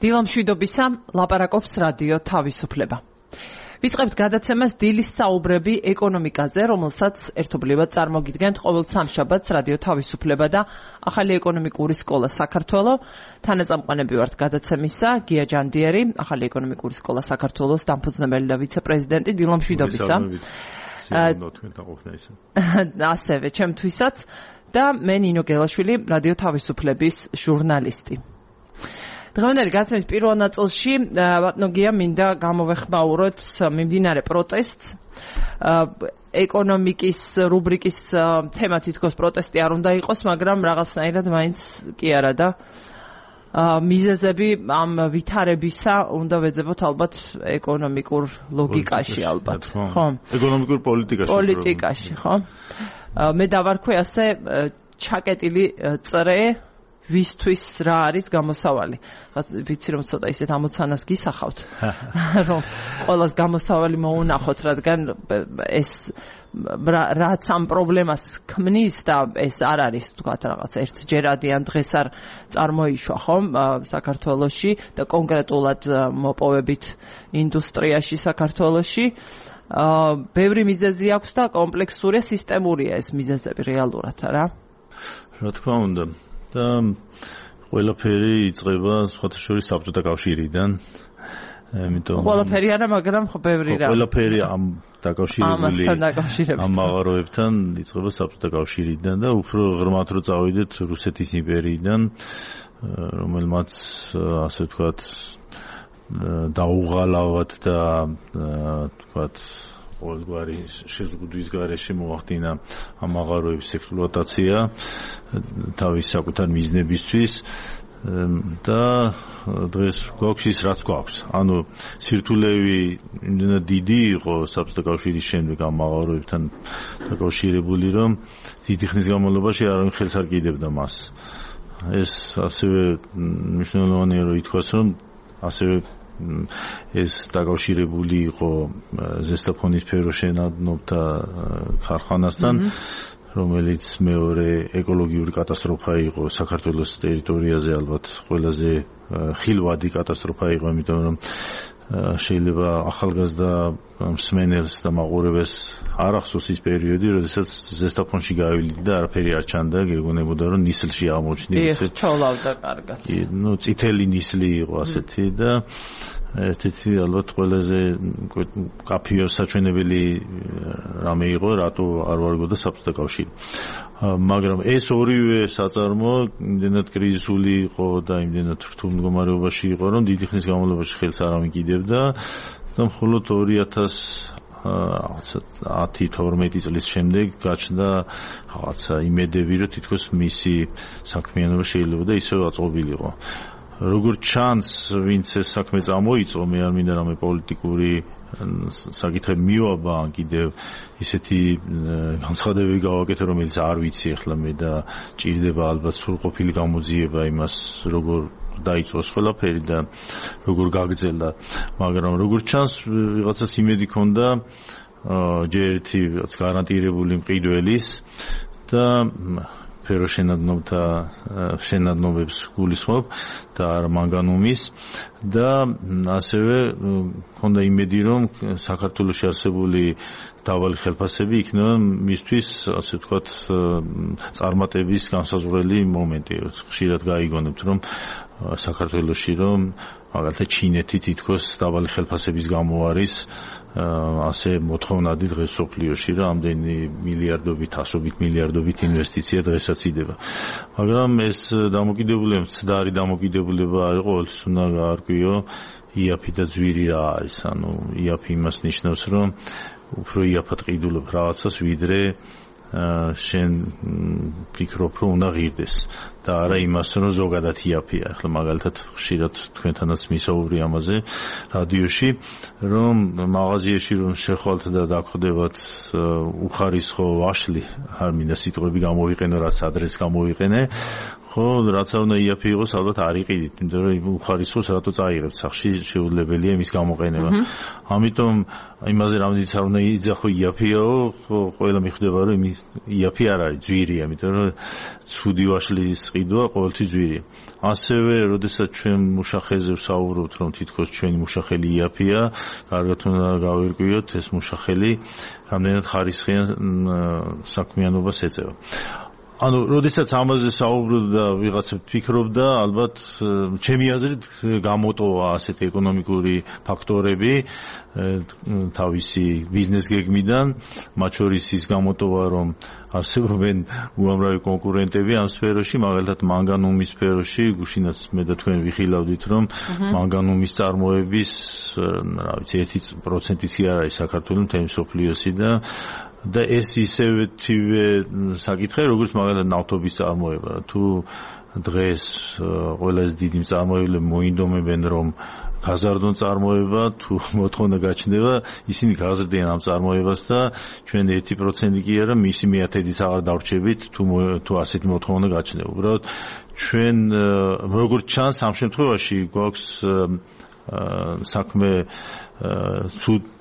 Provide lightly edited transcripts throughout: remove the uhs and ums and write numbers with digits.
დილა მშვიდობისა, ლაპარაკობს რადიო თავისუფლება. ვიწყებთ გადაცემას დილის საუბრები ეკონომიკაზე, რომელსაც ერთობლივად წარმოგიდგენთ ყოველ სამშაბათს რადიო თავისუფლება და ახალი ეკონომიკური სკოლა საქართველო. თანაწამყვანები ვართ გადაცემისა, გია ჯანდიერი, ახალი ეკონომიკური სკოლა საქართველოს დამფუძნებელი და ვიცე-პრეზიდენტი. დილა მშვიდობისა. ასევე ჩემთვისაც და მე ნინო გელაშვილი, რადიო თავისუფლების ჟურნალისტი. დღევანდელი გადაცემის პირველ ნაწილში ბატონო გია მინდა გამოვეხმაუროთ მიმდინარე პროტესტს. ეკონომიკის რუბრიკის თემა თითქოს პროტესტი არ უნდა იყოს, მაგრამ რაღაცნაირად მაინც კი არა და მიზეზები ამ ვითარებისა უნდა ვეძებოთ ალბათ ეკონომიკურ ლოგიკაში ალბათ. ხო? ეკონომიკურ პოლიტიკაში. ხო? მე დავარქვი ასე ჩაკეტილი წრე ვისთვის რა არის გამოსავალი. ვიცი რომ ცოტა ისეთ ამოცანას გისახავთ, რომ ყოველას გამოსავალი მოუნახოთ, რადგან ეს რაც ამ პრობლემას ქმნის და ეს არ არის თქვათ რაღაც ერთჯერადიან დღეს არ წარმოიშვა ხომ საქართველოში და კონკრეტულად მოპოვებით ინდუსტრიაში საქართველოში. ბევრი მიზეზი აქვს და კომპლექსურია, სისტემურია ეს მიზეზები რეალურად რა. რა თქმა უნდა. და ყველაფერი იწყება სხვათა შორის საბჭოთა კავშირიდან. ყველაფერი არა, მაგრამ ხო ბევრი რა. ყველაფერი ამ დაკავშირებული ამ მაღაროებთან იწყება საბჭოთა კავშირიდან და უფრო ღრმად რო წავიდეთ რუსეთის იმპერიიდან, რომელმაც ასე ვთქვათ დაუღალავად და ვთქვათ ყოველგვარი შეზღუდვის გარეშე მოახდინა ამ მაღაროების ექსპლუატაცია თავის საკუთარ მიზნებისთვის და დღეს გვაქვს ის რაც გვაქვს. ანუ სირთულეები იმდენად დიდი იყო საბჭოთა კავშირის შემდეგ ამ მაღაროებთან დაკავშირებული, რომ დიდი ხნის განმავლობაში არავინ ხელს არ კიდევდა მას. ეს ასევე მნიშვნელოვანია რომ ითქვას, რომ ასევე ეს დაკავშირებული იყო ზესტაფონის ფეროშენადნობთა ქარხანასთან, რომელიც მეორე ეკოლოგიური კატასტროფა იყო საქართველოს ტერიტორიაზე, ალბათ ყველაზე ხილვადი კატასტროფა იყო, იმიტომ რომ შეიძლება ახალგაზრდა მსმენელს და მაყურებელს არ ახსოვს ის პერიოდი, როდესაც ზესტაფონში გავივლიდა და არაფერი არ ჩანდა, გეგონებოდა რომ ნისლში აღმოჩნდა ისე. ჩოლავდა კარგად. წითელი ნისლი იყო ასეთი და ერთ-ერთი ალბათ ყველაზე კაფეო საჩვენებელი რამე იყო, რატო არ ვარგოდა საბჭოთა კავშირი. მაგრამ ეს ორივე საწარმო იმდენად კრიზისული იყო და იმდენად რთულ მდგომარეობაში იყო, რომ დიდი ხნის განმავლობაში ხელს არავინ კიდევდა და მხოლოდ 2010-12 წლის შემდეგ გაჩნდა რაღაცა იმედები, რომ თითქოს მისი საქმიანობა შეიძლება და ისევ აწყობილიყო. როგორც ჩანს, ვინც ეს საქმე წამოიწყო, მე არ მინდა რამე პოლიტიკური საკითხები მივაბა, კიდევ ისეთი განცხადებები გავაკეთე, რომელიც არ ვიცი ახლა მე და ჭირდება ალბათ სრულყოფილი გამოძიება იმას, როგორ დაიწყოს ყველაფერი და როგორ გაგრძელდა. მაგრამ როგორც ჩანს, ვიღაცას იმედი ქონდა ჯერ ერთი რაღაც გარანტირებული მყიდველის და ფეროშენადნობთა შენადნობებს გულისხმობ და არა მანგანუმის და ასევე მქონდა იმედი, რომ საქართველოში არსებული დაბალი ხელფასები იქნება მისთვის, ასე ვთქვათ, წარმატების განსაზღვრელი მომენტი. ხშირად გაიგონებთ, რომ საქართველოში რომ მაგალითად ჩინეთი თითქოს დაბალი ხელფასების გამო არის ასე მოთხოვნადი დღეს სოფლიოში, რომ ამდენი მილიარდობით, ასობით მილიარდობით ინვესტიცია დღესაც იდება. მაგრამ ეს დამოკიდებულება, მცდარი დამოკიდებულება არ იყო, ყოველთვის უნდა გაარკვიო იაფი და ძვირი რა არის. ანუ იაფი იმას ნიშნავს, რომ უფრო იაფად ყიდულობ რაღაცას, ვიდრე შენ ფიქრობ, რომ უნდა ღირდეს და არა იმას, რომ ზოგადად იაფია. ახლა მაგალითად ხშირად თქვენთანაც მისაუბრე ამაზე რადიოში, რომ მაღაზიაში რომ შეხვალთ და დაგხვდებათ უხარისხო ვაშლი, არ მინდა სიტყვები გამოვიყენო, რაც ადრეს გამოვიყენე, ხო, რაც არ უნდა იაფი იყოს, ალბათ არ იყიდით, იმიტომ რომ უხარისხოს რატო წაიღებთ სახში, შეუძლებელია მის გამოყენება. ამიტომ იმაზე რამდენიც არ უნდა იძახო იაფიაო, ხო, ყველა მიხვდება რომ იმის იაფი არ არის, ძვირია, იმიტომ რომ ცუდი ვაშლის ყიდვა ყოველთვის ძვირია. ასევე, როდესაც ჩვენ მუშახელზე ვსაუბრობთ, რომ თითქოს ჩვენი მუშახელი იაფია, კარგად უნდა გავირკვიოთ ეს მუშახელი რამდენად ხარისხიან საქმიანობას ეწევა. ანუ, როდესაც ამაზე საუბრობდა, ვიღაცა ფიქრობდა, ალბათ ჩემი აზრით გამოტოვა ასეთი ეკონომიკური ფაქტორები თავისი ბიზნეს გეგმიდან, მათ შორის ის გამოტოვა, რომ არსებობენ უამრავი კონკურენტები ამ სფეროში, მაგალითად მანგანუმის სფეროში, გუშინაც მე და თქვენ ვიხილავდით, რომ მანგანუმის წარმოების, რა ვიცი, 1%-იც არ არის საქართველოს მთელი მსოფლიოსი და ეს ისევეთივე საკითხია, როგორც მაგალითად ნავთობის წარმოება. თუ დღეს ყველაზე დიდი მწარმოებლები მოინდომებენ, რომ გაზარდონ წარმოება, თუ მოთხოვნა გაჩნდება, ისინი გაზრდიან ამ წარმოებას და ჩვენ 1% კი არა, მისი მეათედიც აღარ დავრჩებით, თუ ასეთი მოთხოვნა გაჩნდება. უბრალოდ ჩვენ როგორც ჩანს ამ შემთხვევაში გვაქვს საქმე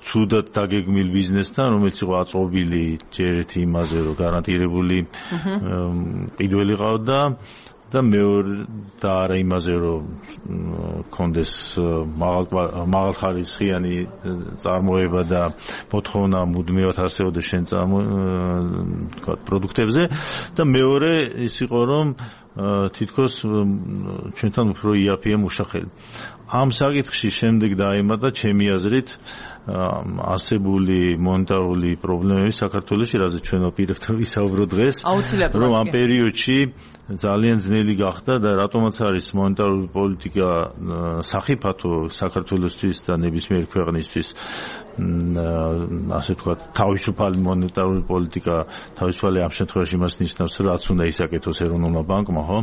ცუდად დაგეგმილ ბიზნესთან, რომელიც იყო აწობილი ჯერ ერთი იმაზე, რომ გარანტირებული ყიდველი ყავდა და მეორე და არა იმაზე, რომ კონდეს მაღალხარისხიანი წარმოება და მოთხოვნა მუდმივად არსებობდა შენ პროდუქტებზე და მეორე ის იყო, რომ თითქოს ჩვენთან უფრო იაფია მუშახელი. ამ საკითხში შემდეგ დაემატა ჩემი აზრით არსებული მონეტარული პრობლემები საქართველოში, რაზე ჩვენ ვაპირებთ ვისაუბროთ დღეს, რომ ამ პერიოდში ძალიან ძნელი გახდა და რატომაც არის მონეტარული პოლიტიკა სახიფათო საქართველოსთვის და ნებისმიერი ქვეყნისთვის, ასე ვთქვათ, თავისუფალი მონეტარული პოლიტიკა, თავისუფალი ამ შემთხვევაში იმას ნიშნავს, რომ რაც უნდა ისაკეთოს ეროვნულმა ბანკმა, ხო?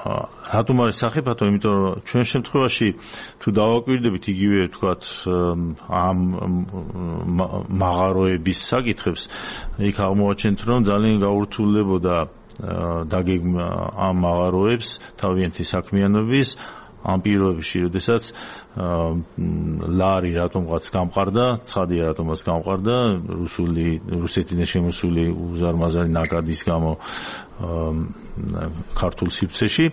რატომ არის სახიფათო? იმიტომ რომ ჩვენ შემთხვევაში თუ დავაკვირდებით იგივე ვთქვათ ამ მაღაროების საკითხებს, იქ აღმოაჩენთ, რომ ძალიან გაურთულებოდა დაგეგმა ამ მაღაროებს თავიანთი საქმიანობის ამ პირობებში, როდესაც ლარი რატომღაც გამყარდა, ცხადია რატომაც გამყარდა, რუსეთიდან შემოსული უზარმაზარი ნაკადის გამო ქართულ სივრცეში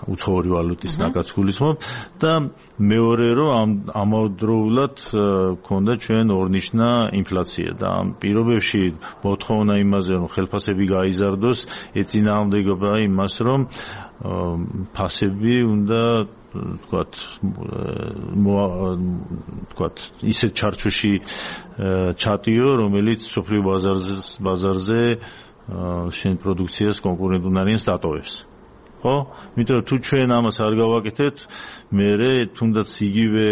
უცხოური ვალუტის ნაკადს გულისხმობ და მეორე რომ ამავდროულად ქონდა ჩვენ ორნიშნა ინფლაცია და ამ პირობებში მოთხოვნა იმაზე რომ ხელფასები გაიზარდოს ეწინააღმდეგება იმას რომ ფასები უნდა თქვათ ისეთ ჩარჩოში ჩატიო რომელიც სოფლიო ბაზარზე შენ პროდუქციას კონკურენტუნარიანს დატოვებს. ხო? იმიტომ თუ ჩვენ ამას არ გავაკეთებთ, მერე თუნდაც იგივე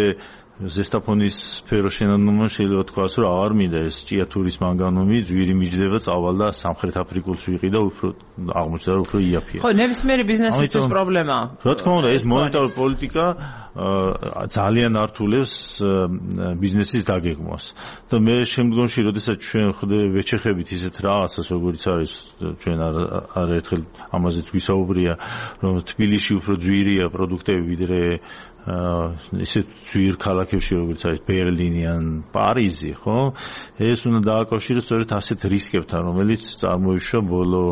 ზესტაფონის სფერო შენანომა შეიძლება თქვას, რომ აღარ მინდა ეს ჭიათურის მანგანუმი ძვირი მიჯდება წავალ და სამხრეთ აფრიკულს ვიყიდა უფრო აღმოჩნდა რომ უფრო იაფია. ხო, ნებისმიერი ბიზნესისთვის პრობლემაა. რა თქმა უნდა, ეს მონეტარული პოლიტიკა ძალიან ართულებს ბიზნესის დაგეგმვას. და მე შემდგომში, როდესაც ჩვენ ვეჩეხებით ისეთ რაღაცას, როგორც არის ჩვენ არაერთხელ ამაზეც გვისაუბრია, რომ თბილისში უფრო ძვირია პროდუქტები ვიდრე ისეთ ძვირ ქალაქებში, როგორც არის ბერლინი ან პარიზი, ხო? ეს უნდა დააკავშიროს სწორედ ასეთ რისკებთან, რომელიც წარმოიშვა ბოლო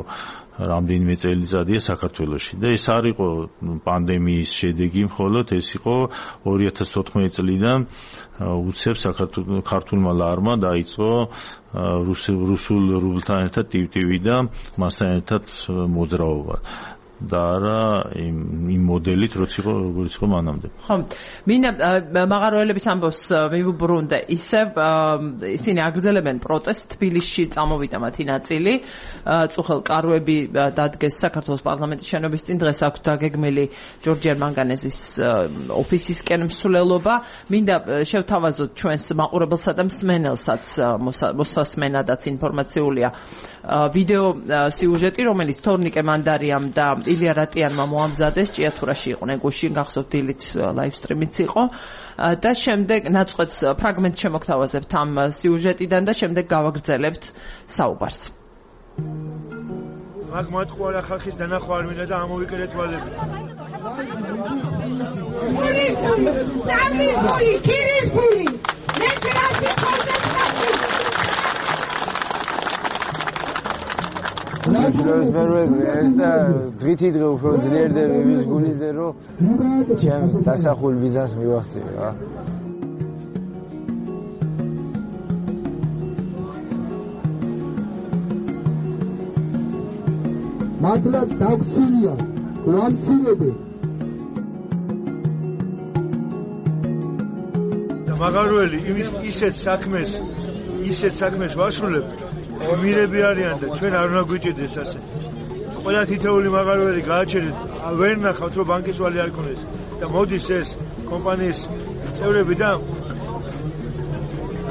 რამდენიმე წელიწადია საქართველოში. და ეს არ იყო პანდემიის შედეგი მხოლოდ, ეს იყო 2014 წლიდან უცებ ქართულმა ლარმა დაიწყო რუსულ რუბლთან ერთად ტივტივი და მასთან ერთად მოძრაობა. და არა იმ მოდელით როგორც იყო მანამდე. ხო, მინდა მაღაროელების ამბავს მივუბრუნდე. ისევ ისინი აგრძელებენ პროტესტს, თბილისში წამოვიდა მათი ნაწილი. წუხელ კარვები დადგეს საქართველოს პარლამენტის შენობის წინ, დღეს აქვს დაგეგმილი ჯორჯიან მანგანეზის ოფისისკენ მსვლელობა. მინდა შევთავაზოთ ჩვენს მაყურებელსა და მსმენელსაც მოსასმენადაც ინფორმაციულია ვიდეო სიუჟეტი, რომელიც თორნიკე მანდარიამ და ილია რატიანმა მოამზადეს, ჭიათურაში იყვნენ გუშინ, გახსოვთ დილით ლაივსტრიმიც იყო და შემდეგ ნაწყვეტს ფრაგმენტს შემოგთავაზებთ ამ სიუჟეტიდან და შემდეგ გავაგრძელებთ საუბარს. მაგ მოატყუარა ხალხის დანახვა არ მინდა და ამოვიკერეთ ვალები. ეს და დღითი დღე უფრო ძლიერდება ვის გულიზე რომ ჩემს დასახულ ბიზნეს მივახცე რა. მადლაც დაგცინია გრამცინები და მაგარველი ისეთ საქმეს ვაშულებ მირები არიან და ჩვენ არ უნდა გვიჭირდეს ასე ყველა თითოეული მაგარველი გააჩერეთ ვერ ნახავთ რომ ბანკის ვალი არ ქონდეს და მოდის ეს კომპანიის წევრები და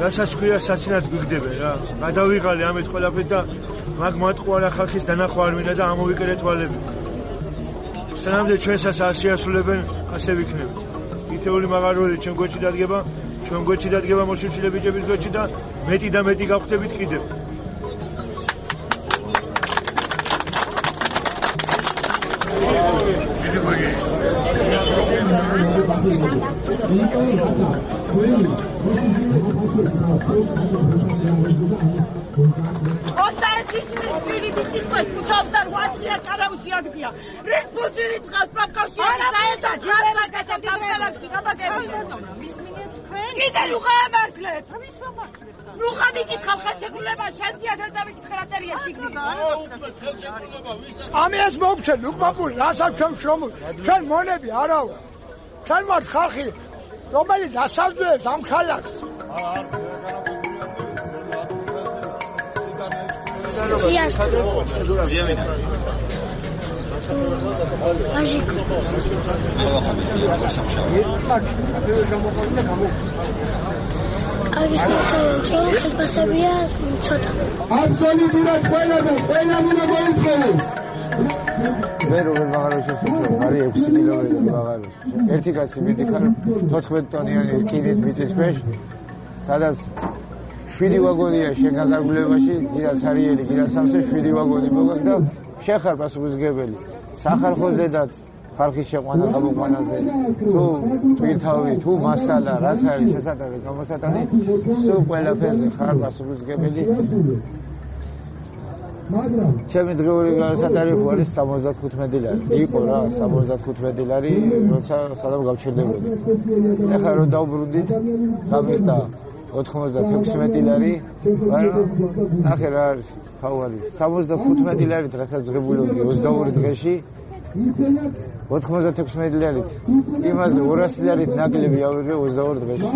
რასაც ქვია საცინად გვიგდებენ რა გადავიღალე ამით ყველაფერს და მაგ მოატყუარა ხალხის დანახვა არ მინდა და ამოვიკერეთ ვალები სანამდე ჩვენსაც არ შეასრულებენ ასე ვიქნებით თითოეული მაგარველი ჩვენ გვერდში დადგება მოშიშილე ბიჭების გვერდში და მეტი და მეტი გავხდებით კიდევ ამას მოგცემ უკმაპური რასაც ჩვენ შრომობ ჩვენ მონები არა ვარ ჩვენ ვართ ხალხი რომელიც ასავდებს ამ ხალხს აბსოლუტურად ყველა მოიწონს მე როგორ მაგალითად არის 6 კილომეტრი მაგალითად ერთი კაცი მიდიქარ 14 ტონიანი კიდით მიწის ქვეშ სადაც 7 ვაგონია შეგაგებულებაში დიდას არიელი კიდას სამზე 7 ვაგონი მოგაკ და შეხარ პასუხისგებელი სახალხოზედაც ხალხის შეყვანა გამოყვანაზე თუ პირთავი თუ მასალა რაც არის შესაძლებელი გამოსატანი სულ ყველაფერზე ხარ პასუხისგებელი ჩემი დღეული განსაკუთრებული არის 75 ლარი. იყო რა 75 ლარი, როცა სადამ გავჩერდებოდი. ეხლა რომ დავბრუნდით, გამიხდა 96 ლარი, მაგრამ ახლა რა არის თავარი 75 ლარით რასაც ღებულობდი 22 დღეში 96 ლარით. იმაზე 200 ლარით ნაკლები ავიღე 22 დღეში.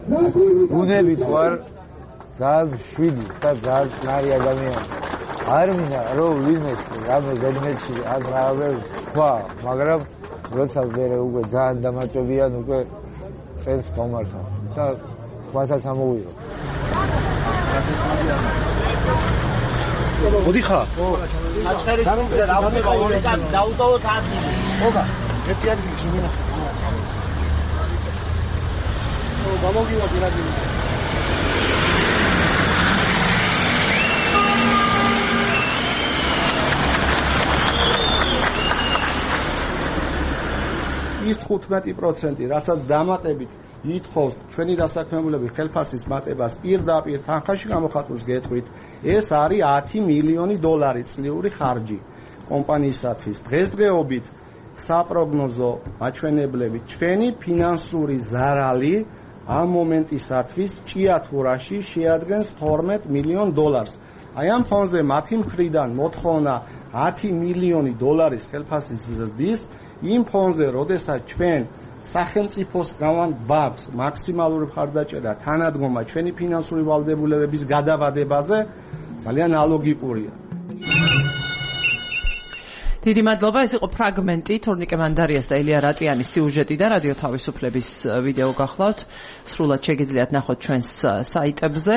უნებით ვარ ძალიან შვიდი და ძალიან წნარი ადამიანი. არ მინდა რომ ვინმეს რამე ზედმეტში ან რამე თქვა, მაგრამ როცა ვერე უკვე ძალიან დამაწვებიან უკვე წელს გამართა და ხმასაც ამოვიღო. მოდიხა? აჩხერის გუნდზე რა ხდება ორი კაცი დაუტოვოთ ადგილი. ხობა, ერთი ადგილი შემინახე. გამოგივა პირადული. ის 15%, რასაც დამატებით ითხოვს ჩვენი დასაქმებულები ხელფასის მატებას პირდაპირ თანხაში გამოხატვის გეტყვით, ეს არის 10 მილიონი დოლარი წლიური ხარჯი კომპანიისათვის. დღესდღეობით საპროგნოზო მაჩვენებლებით ჩვენი ფინანსური ზარალი ამ მომენტისათვის ჭიათურაში შეადგენს 12 მილიონ დოლარს. აი ამ ფონზე მათი მხრიდან მოთხოვნა 10 მილიონი დოლარის ხელფასის ზრდის იმ ფონზე, როდესაც ჩვენ სახელმწიფოსგან გვაქვს მაქსიმალური მხარდაჭერა თანადგომა ჩვენი ფინანსური ვალდებულებების გადავადებაზე, ძალიან ალოგიკურია. დიდი მადლობა, ეს იყო ფრაგმენტი თორნიკე მანდარიას და ელია რატიანის სიუჟეტიდან რადიო თავისუფლების ვიდეო გახლავთ. სრულად შეგიძლიათ ნახოთ ჩვენს საიტებზე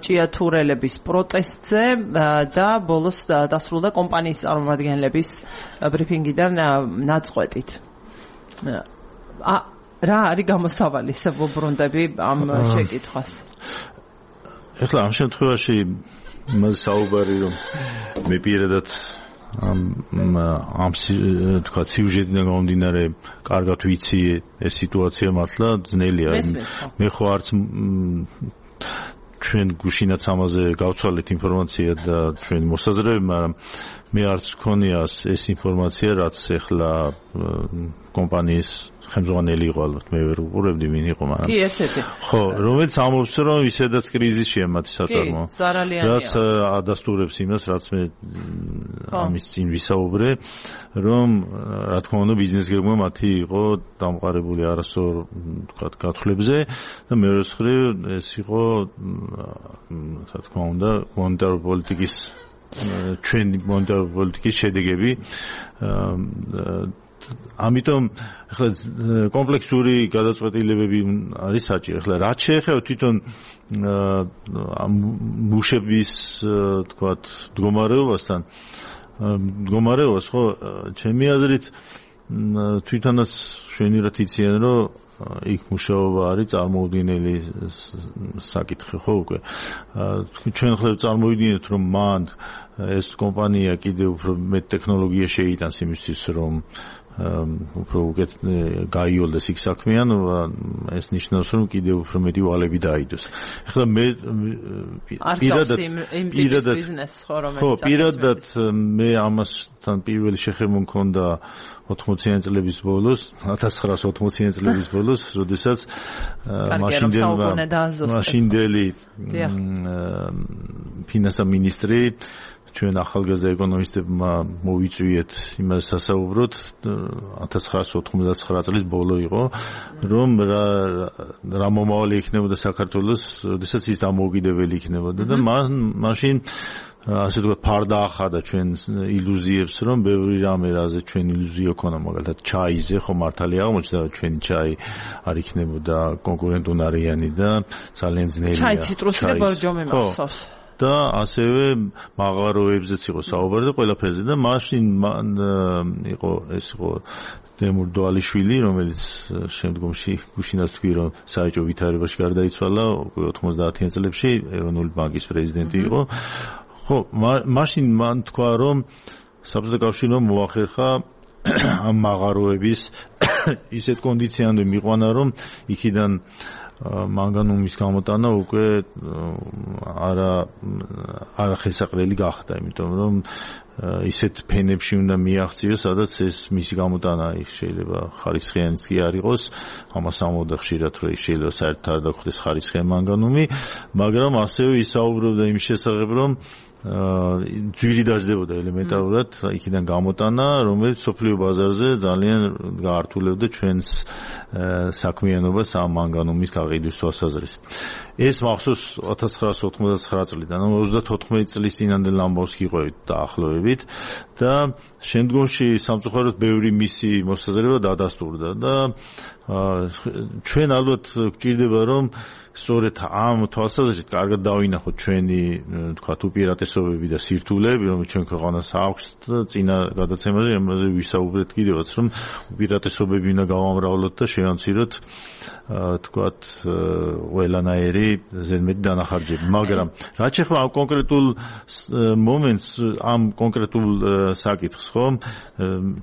ჭიათურელების პროტესტზე და ბოლოს დასრულდა კომპანიის წარმომადგენლების ბრიფინგიდან ნაწყვეტით. რა არის გამოსავალი, ვუბრუნდები ამ შეკითხვას? ეხლა ამ შემთხვევაში მას საუბარი რომ მე პირადად ამ თქვა სიუჟეტიდან გამომდინარე კარგად ვიცი ეს სიტუაცია მართლა ძნელია მე ხო არც ჩვენ გუშინაც ამაზე გავცვალეთ ინფორმაცია და ჩვენ მოსაზრები, მაგრამ მე არც მქონია ეს ინფორმაცია, რაც ეხლა კომპანიის ხელმძღვანელი იყო ალბათ მე ვერ უყურებდი ვინ იყო, მაგრამ კი ერთ-ერთი. ხო, რომელიც ამბობს რომ ისედაც კრიზისშია მათი საწარმო. კი, ზარალიანია. რაც ადასტურებს იმას, რაც მე ამის წინ ვისაუბრე, რომ რა თქმა უნდა ბიზნესგებმა მათი იყო დამყარებული არასწორ თქვა გათვლებზე და მეორე მხრივ ეს იყო რა თქმა უნდა მონეტარული პოლიტიკის ჩვენი მონეტარული პოლიტიკის შედეგები ამიტომ ახლა კომპლექსური გადაწყვეტილებები არის საჭირო. ახლა რაც შეეხება თვითონ მუშების თქვათ მდგომარეობასთან მდგომარეობას ხო ჩემი აზრით თვითონაც შვენივრად იციან რომ იქ მუშაობა არის წარმოუდგენელი საკითხი ხო უკვე ჩვენ ხელ წარმოვიდგინეთ რომ მან ეს კომპანია კიდევ უფრო მეტ ტექნოლოგია შეიტანს იმისთვის რომ უფრო უკეთ გაიოლდეს იქ საქმიანობა ეს ნიშნავს რომ კიდევ უფრო მეტი ვალები დაიდოს. ახლა მე პირადად მე ამასთან პირველი შეხება მქონდა 80-იან წლების ბოლოს 1980-იან წლების ბოლოს როდესაც მაშინდელი ფინანსთა მინისტრი ჩვენ ახალგაზრდა ეკონომისტებმა მოვიწვიეთ იმას სასაუბროთ 1999 წლის ბოლო იყო რომ რა მომავალი იქნებოდა საქართველოს როდესაც ის დამოუკიდებელი იქნებოდა და მაშინ ასე თქვა ფარდა ახადა ჩვენ ილუზიებს რომ ბევრი რამე რაზე ჩვენ ილუზია ქონა მაგალითად ჩაიზე ხო მართალი აღმოჩნდა რომ ჩვენი ჩაი არ იქნებოდა კონკურენტუნარიანი და ძალიან ძნელია ჩაი ციტრუსი და ბორჯომი მახსოვს და ასევე მაღაროებზეც იყო საუბარი და ყველაფერზე და მაშინ იყო ეს იყო დემურ დვალიშვილი რომელიც შემდგომში გუშინაც თქვი რომ საეჭვო ვითარებაში გარდაიცვალა 90-იან წლებში ეროვნული ბანკის პრეზიდენტი იყო ხო მაშინ მან თქვა რომ საბჭოთა კავშირმა მოახერხა ამ მაღაროების ისეთ კონდიციამდე მიყვანა რომ იქიდან მანგანუმის გამოტანა უკვე არა ხელსაყრელი გახდა, იმიტომ რომ ისეთ ფენებში უნდა მიაღწიოს, სადაც ეს მისი გამოტანა იქ შეიძლება ხარისხიანიც კი არ იყოს, ამას ამბობდა ხშირად, რომ შეიძლება საერთოდ არ დაგხვდეს ხარისხიანი მანგანუმი, მაგრამ ასევე ისაუბრებდა იმ შესახებ, რომ ძვირი დაждდებოდა ელემენტარულად იქიდან გამოტანა, რომელიც სოფლიო ბაზარზე ძალიან გაართულებდა ჩვენს საქმიანობას ამ მანგანუმის გაყიდვის თვალსაზრისით. ეს მახსოვს 1999 წლიდან, 34 წლის წინანდელ ამბავს გიყვებით დაახლოებით და შემდგომში სამწუხაროდ ბევრი მისი მოსაზრება დადასტურდა და ჩვენ ალბათ გვჭირდება რომ სწორედ ამ თვალსაზრისით კარგად დავინახოთ ჩვენი თქვათ უპირატესობები და სირთულეები, რომელიც ჩვენ ქვეყანას აქვს და წინა გადაცემაზე ამაზე ვისაუბრეთ კიდევაც, რომ უპირატესობები უნდა გავამრავლოთ და შევამციროთ თქვათ ყველანაირი ზედმეტი დანახარჯები. მაგრამ რაც შეეხება ამ კონკრეტულ მომენტს, ამ კონკრეტულ საკითხს, ხო?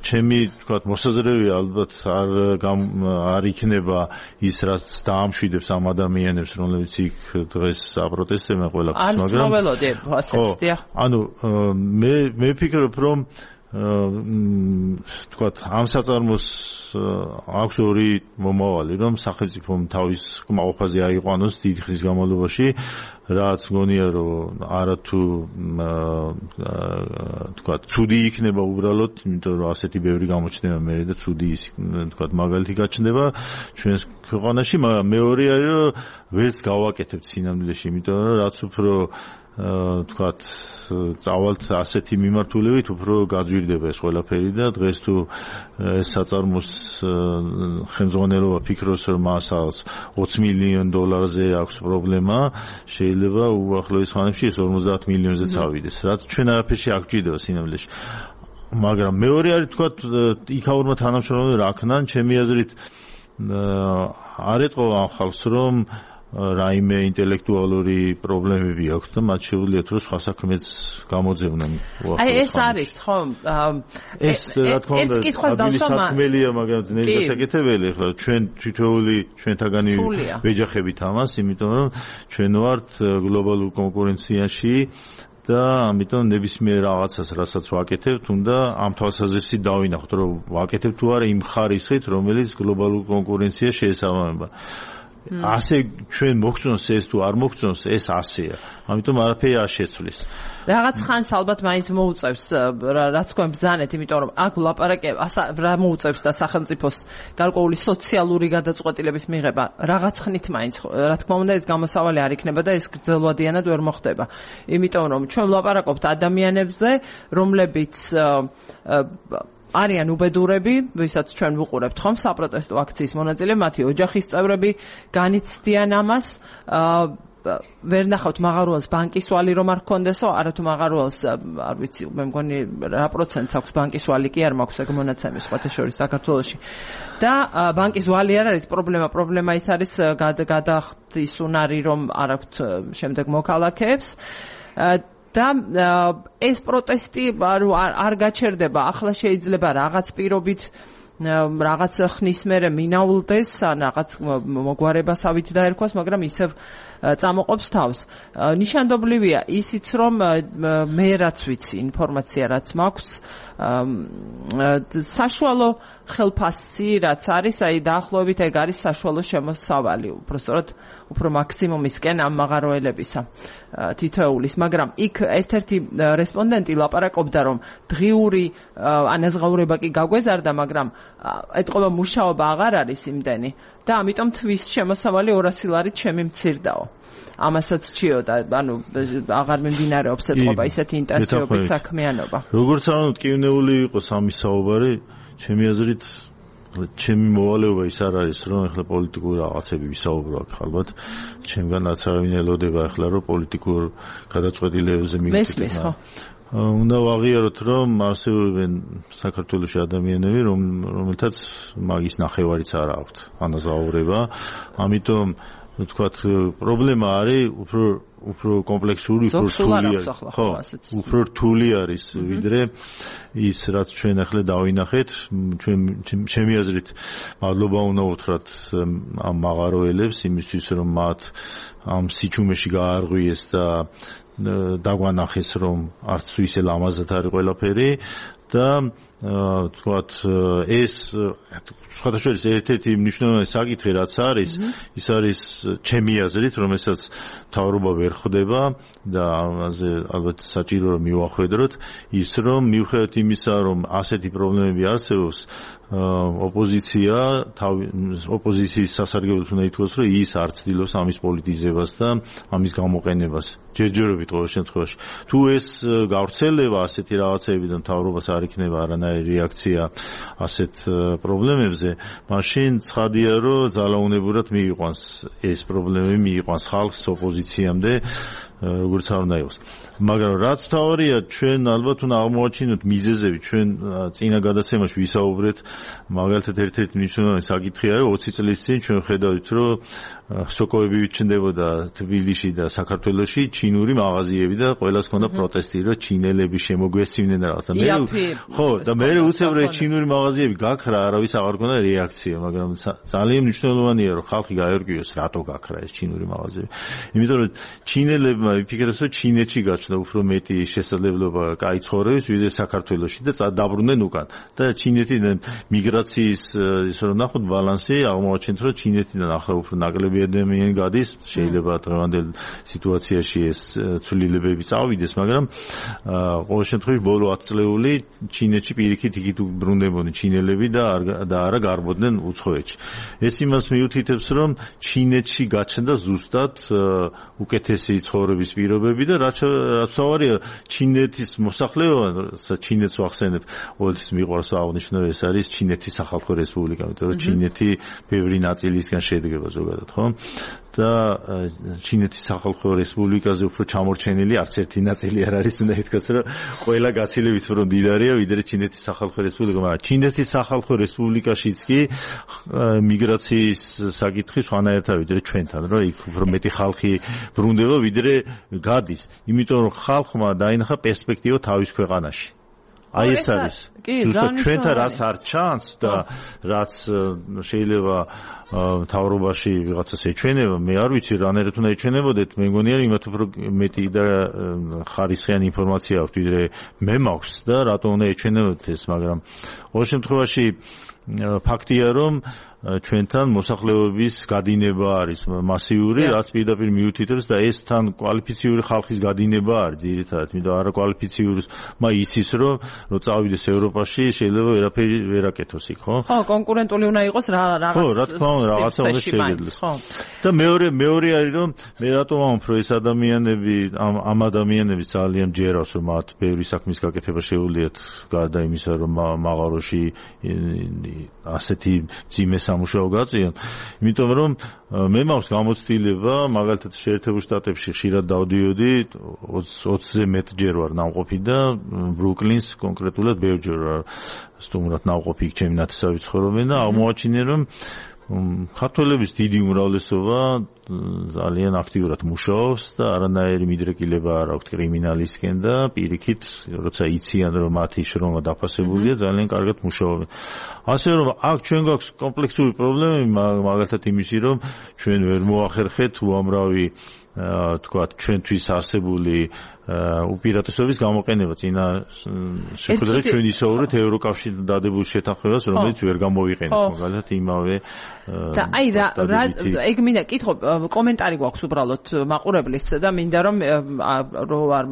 ჩემი თქვათ მოსაზრები ალბათ არ იქნება ის, რაც დაამშვიდებს ამ ადამიანებს, რომლებიც იქ დღეს აპროტესტებენ ყველაფერს, მაგრამ ანუ მე ვფიქრობ, რომ თქვათ ამ საწარმოს აქვს ორი მომავალი, რომ სახელმწიფომ თავის კმაყოფაზე აიყვანოს დიდი ხნის განმავლობაში, რაც გონია რომ არათუ თქვათ ცუდი იქნება უბრალოდ, იმიტომ რომ ასეთი ბევრი გამოჩნდება მე და ცუდი ის თქვათ მაგალითი გაჩნდება ჩვენს ქვეყანაში, მაგრამ მეორე არის რომ ვერც გავაკეთებთ სინამდვილეში, იმიტომ რომ რაც უფრო თქვათ წავალთ ასეთი მიმართულებით უფრო გაძვირდება ეს ყველაფერი და დღეს თუ ეს საწარმოს ხელმძღვანელობა ფიქრობს რომ მასალს 20 მილიონ დოლარზე აქვს პრობლემა, შეიძლება უახლოეს ხანებში ეს 50 მილიონზე წავიდეს, რაც ჩვენ არაფერში არ გვჭირდება სინამდვილეში. მაგრამ მეორე არის თქვათ იქაურმა თანამშრომლებმა რა ქნან, ჩემი აზრით არ ეტყობა ამ ხალხს რომ რაიმე ინტელექტუალური პრობლემები აქვს და მათ შეუძლიათ რომ სხვა საქმეც გამოძევნონ. აი ეს არის ხო? ეს რა თქმა უნდა ადვილი საქმელია, მაგრამ ძნელი დასაკეთებელი. ხო, ჩვენ თითოეული ჩვენთაგანი ვეჯახებით ამას, იმიტომ რომ ჩვენ ვართ გლობალურ კონკურენციაში და ამიტომ ნებისმიერ რაღაცას, რასაც ვაკეთებთ, უნდა ამ თვალსაზრისით დავინახოთ, რომ ვაკეთებთ თუ არა იმ ხარისხით, რომელიც გლობალურ კონკურენციას შეესაბამება. ასე ჩვენ მოგწონს ეს თუ არ მოგწონს, ეს ასეა. ამიტომ არაფერი არ შეცვლის. რაღაც ხანს ალბათ მაინც მოუწევს რაც თქვენ ბრძანეთ, იმიტომ რომ აქ ვლაპარაკებ, რა მოუწევს და სახელმწიფოს გარკვეული სოციალური გადაწყვეტილების მიღება. რაღაც ხნით მაინც, რა თქმა უნდა, ეს გამოსავალი არ იქნება და ეს გრძელვადიანად ვერ მოხდება. იმიტომ რომ ჩვენ ვლაპარაკობთ ადამიანებზე, რომლებიც არიან უბედურები, ვისაც ჩვენ ვუყურებთ ხომ საპროტესტო აქციის მონაწილე, მათი ოჯახის წევრები განიცდიან ამას. ვერ ნახავთ მაღაროელს ბანკის ვალი რომ არ გქონდესო, არათუ მაღაროელს არ ვიცი, მე მგონი რა პროცენტს აქვს ბანკის ვალი კი არ მაქვს ეგ მონაცემი სხვათა შორის საქართველოში. და ბანკის ვალი არ არის პრობლემა, პრობლემა ის არის გადახდის უნარი რომ არ აქვთ შემდეგ მოქალაქეებს. და ეს პროტესტი არ გაჩერდება, ახლა შეიძლება რაღაც პირობით რაღაც ხნის მერე მინაულდეს, ან რაღაც მოგვარებასავით დაერქვას, მაგრამ ისევ წამოყოფს თავს. ნიშანდობლივია ისიც, რომ მე რაც ვიცი, ინფორმაცია რაც მაქვს, საშუალო ხელფასი რაც არის, აი დაახლოებით ეგ არის საშუალო შემოსავალი, უბრალოდ უფრო მაქსიმუმისკენ ამ მაღაროელებისა თითოეულის, მაგრამ იქ ერთ-ერთი რესპონდენტი ლაპარაკობდა, რომ დღიური ანაზღაურება კი გაგვეზარდა, მაგრამ ეთყობა მუშაობა აღარ არის იმდენი და ამიტომ თვის შემოსავალი 200 ლარით ჩემი მცირდაო. ამასაც ჭიოდა, ანუ აღარ მიმდინარეობს ეთყობა ისეთი ინტენსივობით საქმიანობა. როგორც ანუ ტკივნეული იყოს ამის საუბარი, ჩემი აზრით ჩემი მოვალეობა ის არ არის, რომ ახლა პოლიტიკური რაღაცები ვისაუბრო აქ, ალბათ ჩემგან რაც არავინ ელოდება ახლა, რომ პოლიტიკურ გადაწყვეტილებებზე მივხვდეთ. უნდა ვაღიაროთ, რომ არსებობენ საქართველოში ადამიანები, რომელთაც მაგის ნახევარიც არ აქვთ ანაზღაურება, ამიტომ ვთქვათ, პრობლემა არის უფრო კომპლექსური, უფრო რთული არის, ვიდრე ის, რაც ჩვენ ახლა დავინახეთ, ჩემი აზრით, მადლობა უნდა უთხრათ ამ მაღაროელებს იმისთვის, რომ მათ ამ სიჩუმეში გაარღვიეს და დაგვანახეს, რომ არც თუ ისე ლამაზად არის ყველაფერი და თქვათ ეს სხვათა შორის ერთ-ერთი მნიშვნელოვანი საკითხი რაც არის, ის არის ჩემი აზრით, რომელსაც მთავრობა ვერ ხვდება და ამაზე ალბათ საჭირო რომ მივახვედროთ, ის რომ მიუხედავად იმისა, რომ ასეთი პრობლემები არსებობს, ოპოზიციის სასარგებლოდ უნდა ითქვას, რომ ის არ ცდილობს ამის პოლიტიზებას და ამის გამოყენებას. ჯერჯერობით ყოველ შემთხვევაში. თუ ეს გავრცელდება ასეთი რაღაცები და მთავრობას არ იქნება არანაირი რეაქცია ასეთ პრობლემებზე, მაშინ ცხადია, რომ ძალაუნებურად მიიყვანს ეს პრობლემები, მიიყვანს ხალხს ოპოზიციამდე, როგორც არ უნდა იყოს. მაგრამ რაც თავარია, ჩვენ ალბათ უნდა აღმოაჩინოთ მიზეზები, ჩვენ წინა გადაცემაში ვისაუბრეთ, მაგალითად ერთ-ერთი მნიშვნელოვანი საკითხი არის 20 წლის წინ ჩვენ ხედავთ, რომ სოკოები ჩნდებოდა თბილისში და საქართველოში ჩინური მაღაზიები და ყველას ჰქონდა პროტესტი, რომ ჩინელები შემოგვესწინნენ რაღაცა. ხო, და მე უცებ რომ ჩინური მაღაზიები გაქრა, არავის აღარ ჰქონდა რეაქცია, მაგრამ ძალიან მნიშვნელოვანია, რომ ხალხი გაერკვიოს, რატო გაქრა ეს ჩინური მაღაზიები. იმიტომ რომ ჩინელებმა იფიქრეს, რომ ჩინეთში გაჩნდა უფრო მეტი შესაძლებლობა კაი ცხოვრების, ვიდრე საქართველოში და დაბრუნდნენ უკან. და ჩინეთიდან მიგრაციის ისე რომ ნახოთ ბალანსი, აღმოაჩენთ, რომ ჩინეთიდან ახლა უფრო ნაკლები ადამიანი გადის, შეიძლება დღევანდელ სიტუაციაში ეს ცვლილებები წავიდეს, მაგრამ ყოველ შემთხვევაში ბოლო 10 წლეული ჩინეთში პირიქით იქით ბრუნდებოდნენ ჩინელები და არა გარბოდნენ უცხოეთში. ეს იმას მიუთითებს, რომ ჩინეთში გაჩნდა ზუსტად უკეთესი ცხოვრების ცხოვრების პირობები და რაც თავარია ჩინეთის მოსახლეობა, ჩინეთს ვახსენებ, ყოველთვის მიყვარს აღნიშნო, ეს არის ჩინეთის სახალხო რესპუბლიკა, იმიტომ რომ ჩინეთი ბევრი ნაწილისგან შედგება ზოგადად, ხო? და ჩინეთის სახალხო რესპუბლიკაზე უფრო ჩამორჩენილი არც ერთი ნაწილი არ არის, უნდა ითქვას, რომ ყველა გაცილებით უფრო მდიდარია ვიდრე ჩინეთის სახალხო რესპუბლიკა, მაგრამ ჩინეთის სახალხო რესპუბლიკაშიც კი მიგრაციის საკითხი სხვანაირადაა ვიდრე ჩვენთან, რომ იქ უფრო მეტი ხალხი ბრუნდება ვიდრე გადის, იმიტომ რომ ხალხმა დაინახა პერსპექტივა თავის ქვეყანაში. აი ეს არის. ზუსტად ჩვენთან რაც არ ჩანს და რაც შეიძლება თავრობაში ვიღაცას ეჩვენება, მე არ ვიცი რანაირად უნდა ეჩვენებოდეთ, მე მგონი არის იმათ უფრო მეტი და ხარისხიანი ინფორმაცია აქვს ვიდრე მე მაქვს და რატო უნდა ეჩვენებოდეთ ეს, მაგრამ ყოველ შემთხვევაში ფაქტია რომ ჩვენთან მოსახლეობის გადინება არის მასიური, რაც პირდაპირ მიუთითებს და ეს თან კვალიფიციური ხალხის გადინება არის ძირითადად, იმიტომ არა კვალიფიციური იცის რომ წავიდეს ევროპაში შეიძლება ვერაფერი ვერ აკეთოს იქ, ხო? ხო, კონკურენტული უნდა იყოს რაღაც. ხო, რა თქმა უნდა, რაღაცა უნდა შეგეძლოს. და მეორე არის რომ მე რატომ ვამბობ, რომ ეს ადამიანები, ამ ადამიანების ძალიან ჯერავს, რომ მათ ბევრი საქმის გაკეთება შეუძლიათ გარდა იმისა, რომ მაღაროში ასეთი ძიმე სამუშაო გაწიონ, იმიტომ რომ მე მაქვს გამოცდილება, მაგალითად შეერთებულ შტატებში ხშირად დავდიოდი, 20-ზე მეტჯერ ვარ ნამყოფი და ბრუკლინს კონკრეტულად ბევრჯერ ვარ სტუმრად ნამყოფი იქ ჩემი ნათესავი ცხოვრობენ და აღმოაჩინე რომ ქართველების დიდი უმრავლესობა ძალიან აქტიურად მუშაობს და არანაირი მიდრეკილება არ აქვთ კრიმინალისკენ და პირიქით, როცა იციან რომ მათი შრომა დაფასებულია, ძალიან კარგად მუშაობენ. ასე რომ აქ ჩვენ გვაქვს კომპლექსური პრობლემები, მაგალითად იმისი რომ ჩვენ ვერ მოახერხეთ უამრავი თქვათ ჩვენთვის არსებული უპირატესობის გამოყენება წინა შეხვედრაში ჩვენ ისაუბრეთ ევროკავშირთან დადებულ შეთანხმებას, რომელიც ვერ გამოვიყენეთ, მაგალითად იმავე და აი რა ეგ მინდა კითხო, კომენტარი გვაქვს უბრალოდ მაყურებლის და მინდა რომ არ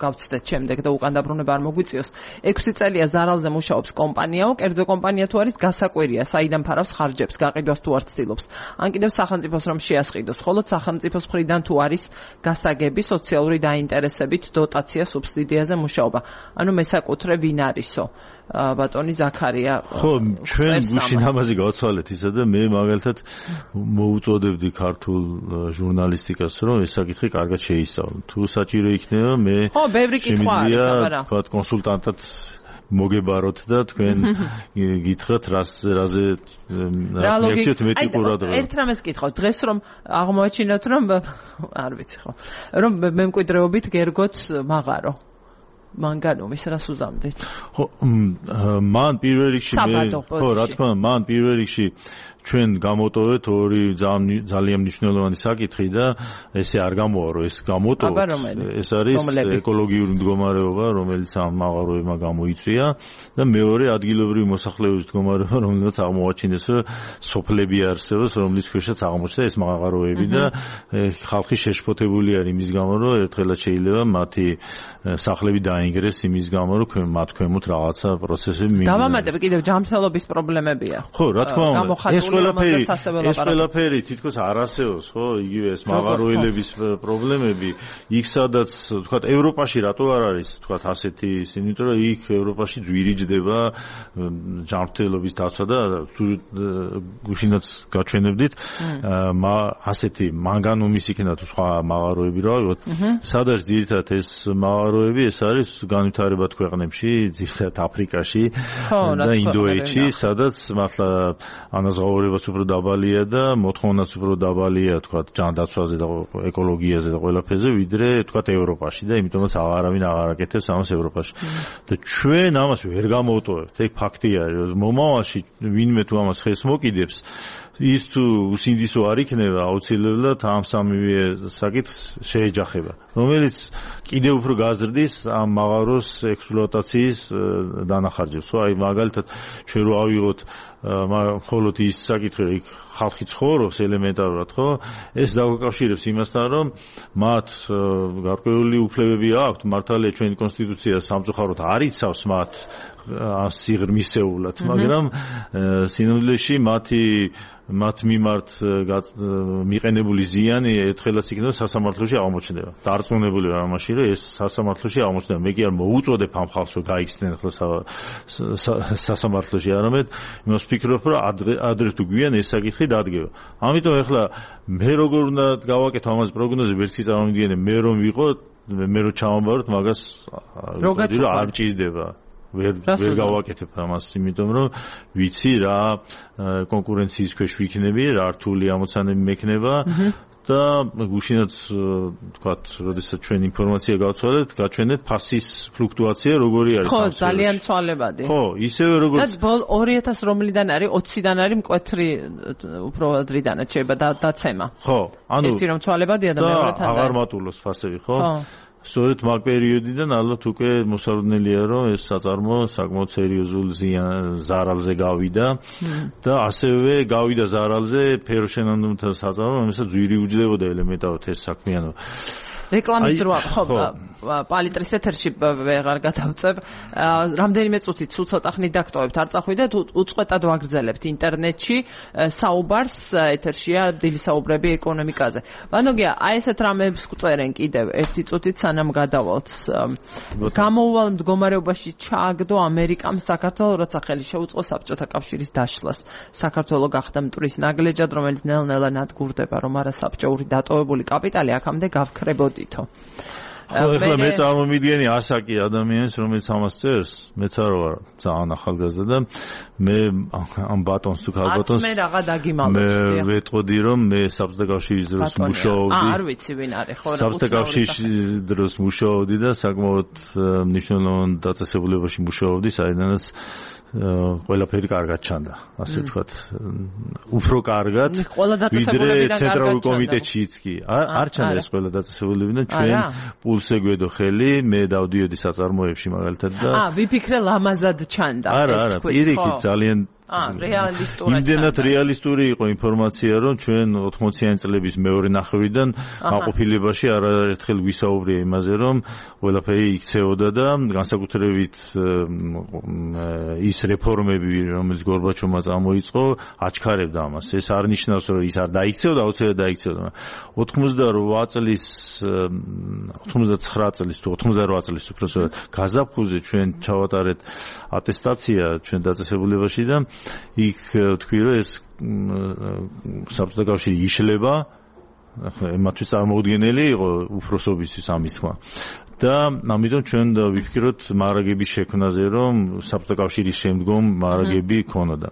გავცდეთ შემდეგ და უკან დაბრუნება არ მოგვიწიოს. 6 წელია ზარალზე მუშაობს კომპანიაო, კერძო კომპანია თუ არის გასაკვირია, საიდან ფარავს ხარჯებს, გაყიდვას თუ არ ცდილობს. ან კიდევ სახელმწიფოს რომ შეასყიდოს, ხოლო სახელმწიფოს მხრიდან თუ არის გასაგები, სოციალური დაინტერესებით, დოტაცია, სუბსიდიაზე მუშაობა. ანუ მესაკუთრე ვინ არისო? ბატონი ზაქარია. ხო, ჩვენ გუშინ ამაზე გავცვალეთ ისა და მე მაგალითად მოუწოდებდი ქართულ ჟურნალისტიკას, რომ ეს საკითხი კარგად შეისწავლო. თუ საჭირო იქნება, მე ხო, ბევრი კითხვა არის, აბარა. თქვა კონსულტანტად მოგებაროთ და თქვენ გითხრათ რაზე მიაქციოთ მეტი ყურადღება. ერთ რამეს კითხავთ, დღეს რომ აღმოაჩინოთ რომ არ ვიცი ხო, რომ მემკვიდრეობით გერგოთ მაღარო. მანგანუმის რას უზამდით? ხო, მან პირველ რიგში ხო, რა თქმა უნდა, მან პირველ რიგში ჩვენ გამოტოვეთ ორი ძალიან მნიშვნელოვანი საკითხი და ესე არ გამოვა, რომ ეს გამოტოვოთ. ეს არის ეკოლოგიური მდგომარეობა, რომელიც ამ მაღაროებმა გამოიწვია და მეორე ადგილობრივი მოსახლეობის მდგომარეობა, რომელიც აღმოაჩინეს, რომ სოფლები არსებობს, რომლის ქვეშაც აღმოჩნდა ეს მაღაროები და ხალხი შეშფოთებული არის იმის გამო, რომ ერთხელაც შეიძლება მათი სახლები დაინგრეს იმის გამო, რომ მათ ქვემოთ რაღაცა პროცესები მიიღოს. გამამატებ კიდევ ჯანმრთელობის პრობლემებია. ხო, რა თქმა უნდა. ეს ყველაფერი თითქოს არ არსებობს, ხო? იგივე ეს მაღაროელების პრობლემები, იქ სადაც, თქვათ, ევროპაში რატო არ არის, თქვათ, ასეთი ისინი, იმიტომ რომ იქ ევროპაში ძვირიჯდება ჯანმრთელობის დაცვა და გუშინაც გაჩვენებდით, ასეთი მანგანუმის იქნება თუ სხვა მაღაროები რა ვიყოთ, სადაც ძირითადად ეს მაღაროები, ეს არის განვითარებად ქვეყნებში, ძირითადად აფრიკაში და ინდოეთში, სადაც მართლა ანაზღაურებაც უფრო დაბალია და მოთხოვნაც უფრო დაბალია, თქვათ, ჯანდაცვაზე და ეკოლოგიაზე და ყველაფერზე, ვიდრე, თქვათ, ევროპაში და იმიტომაც არავინ აღარ აკეთებს ამას ევროპაში. და ჩვენ ამას ვერ გამოვტოვებთ. ეგ ფაქტი არის. მომავალში ვინმე თუ ამას ხეს მოკიდებს, ის თუ უსინდისო არ იქნება, აუცილებლად ამ სამივე საკითხს შეეჯახება, რომელიც კიდევ უფრო გაზრდის ამ მაღაროს ექსპლუატაციის დანახარჯებს. აი მაგალითად ჩვენ რო ავიღოთ მხოლოდ ის საკითხი რომ იქ ხალხი ცხოვრობს ელემენტარულად, ხო? ეს დაგვაკავშირებს იმასთან, რომ მათ გარკვეული უფლებები აქვთ, მართალია ჩვენი კონსტიტუცია სამწუხაროდ არ იცავს მათ სიღრმისეულად, მაგრამ სინამდვილეში მათ მიმართ მიყენებული ზიანი ერთხელაც იქნება სასამართლოში აღმოჩნდება. დარწმუნებული ვარ ამაში, რომ ეს სასამართლოში აღმოჩნდება. მე კი არ მოუწოდებ ამ ხალხს, რომ გაიქცნენ ახლა სასამართლოში, არამედ იმას ვფიქრობ, რომ ადრე თუ გვიან ეს საკითხი დადგება. ამიტომ ახლა მე როგორ უნდა გავაკეთო ამას პროგნოზები, ვერც კი წარმოვიდგენე, მე რომ ვიყო, მე რომ ჩავამბაროთ, მაგას არ მჭირდება. ვერ გავაკეთებ ამას, იმიტომ რომ ვიცი რა კონკურენციის ქვეშ ვიქნები, რა რთული ამოცანები მექნება და გუშინაც თქვათ, როდესაც ჩვენ ინფორმაცია გავცვალეთ, გაჩვენეთ ფასის ფლუქტუაცია როგორი არის. ხო, ძალიან ცვალებადი. ხო, ისევე როგორც 2000 რომლიდან არის, 20-დან არის მკვეთრი უფრო ადრიდანაც შეიძლება დაცემა. ხო, ანუ ერთი რომ ცვალებადია და მეორეთან აღარ მატულობს ფასები, ხო? სწორედ მაგ პერიოდიდან ალბათ უკვე მოსალოდნელია, რომ ეს საწარმო საკმაოდ სერიოზულ ზარალზე გავიდა და ასევე გავიდა ზარალზე ფეროშენონდუმთა საწარმო, რომელსაც ძვირი უჯდებოდა ელემენტარულად ეს საქმიანობა. რეკლამის დრო ხო პალიტრის ეთერში ვეღარ გადავწებ. რამდენიმე წუთით სულ ცოტა ხნით დაგტოვებთ, არ წახვიდეთ, უწყვეტად ვაგრძელებთ ინტერნეტში საუბარს, ეთერშია დილის საუბრები ეკონომიკაზე. ვანოგია, აი ესეთ რამებს გვწერენ კიდევ ერთი წუთით სანამ გადავალთ. გამოუვალ მდგომარეობაში ჩააგდო ამერიკამ საქართველოს, როცა ხელი შეუწყო საბჭოთა კავშირის დაშლას. საქართველო გახდა მტვრის ნაგლეჯად, რომელიც ნელ-ნელა ნადგურდება, რომ არა საბჭოური დატოვებული კაპიტალი აქამდე გავქრებოდითო. ეხლა მე წარმომიდგენი ასაკი ადამიანს, რომელიც ამას წერს, მეც არ ვარ ძალიან ახალგაზრდა და მე ამ ბატონს თუ ქალბატონს მე რაღა დაგიმალოთ. მე ვეტყოდი, რომ მე საბჭოთა კავშირის დროს მუშაობდი. არ ვიცი ვინ არის, ხო რა. საბჭოთა კავშირის დროს მუშაობდი და საკმაოდ მნიშვნელოვან დაწესებულებაში მუშაობდი, საიდანაც ყველაფერი კარგად ჩანდა, ასე ვთქვათ, უფრო კარგად, ვიდრე ცენტრალურ კომიტეტშიც კი. არ ჩანდა ეს ყველა დაწესებულებიდან, ჩვენ პულს ეგვედო ხელი, მე დავდიოდი საწარმოებში მაგალითად და ვიფიქრე ლამაზად ჩანდა. არა, პირიქით ძალიან იმდენად რეალისტური იყო ინფორმაცია, რომ ჩვენ 80-იანი წლების მეორე ნახევრიდან გაყოფილებაში არაერთხელ ვისაუბრია იმაზე, რომ ყველაფერი იქცეოდა და განსაკუთრებით ის რეფორმები, რომელიც გორბაჩოვმა წამოიწყო, აჩქარებდა ამას. ეს არ ნიშნავს, რომ ის არ დაიქცეოდა, აუცილებლად დაიქცეოდა. 88 წლის, 99 წლის თუ 88 წლის უბრალოდ გაზაფხულზე ჩვენ ჩავატარეთ ატესტაცია ჩვენ დაწესებულებაში და იქ თქვი რომ ეს საბჭოთა კავშირი იშლება, მათთვის წარმოუდგენელი იყო უფროსობისთვის ამის თქმა. და ამიტომ ჩვენ ვიფიქროთ მარაგების შექმნაზე, რომ საბჭოთა კავშირის შემდგომ მარაგები ქონოდა.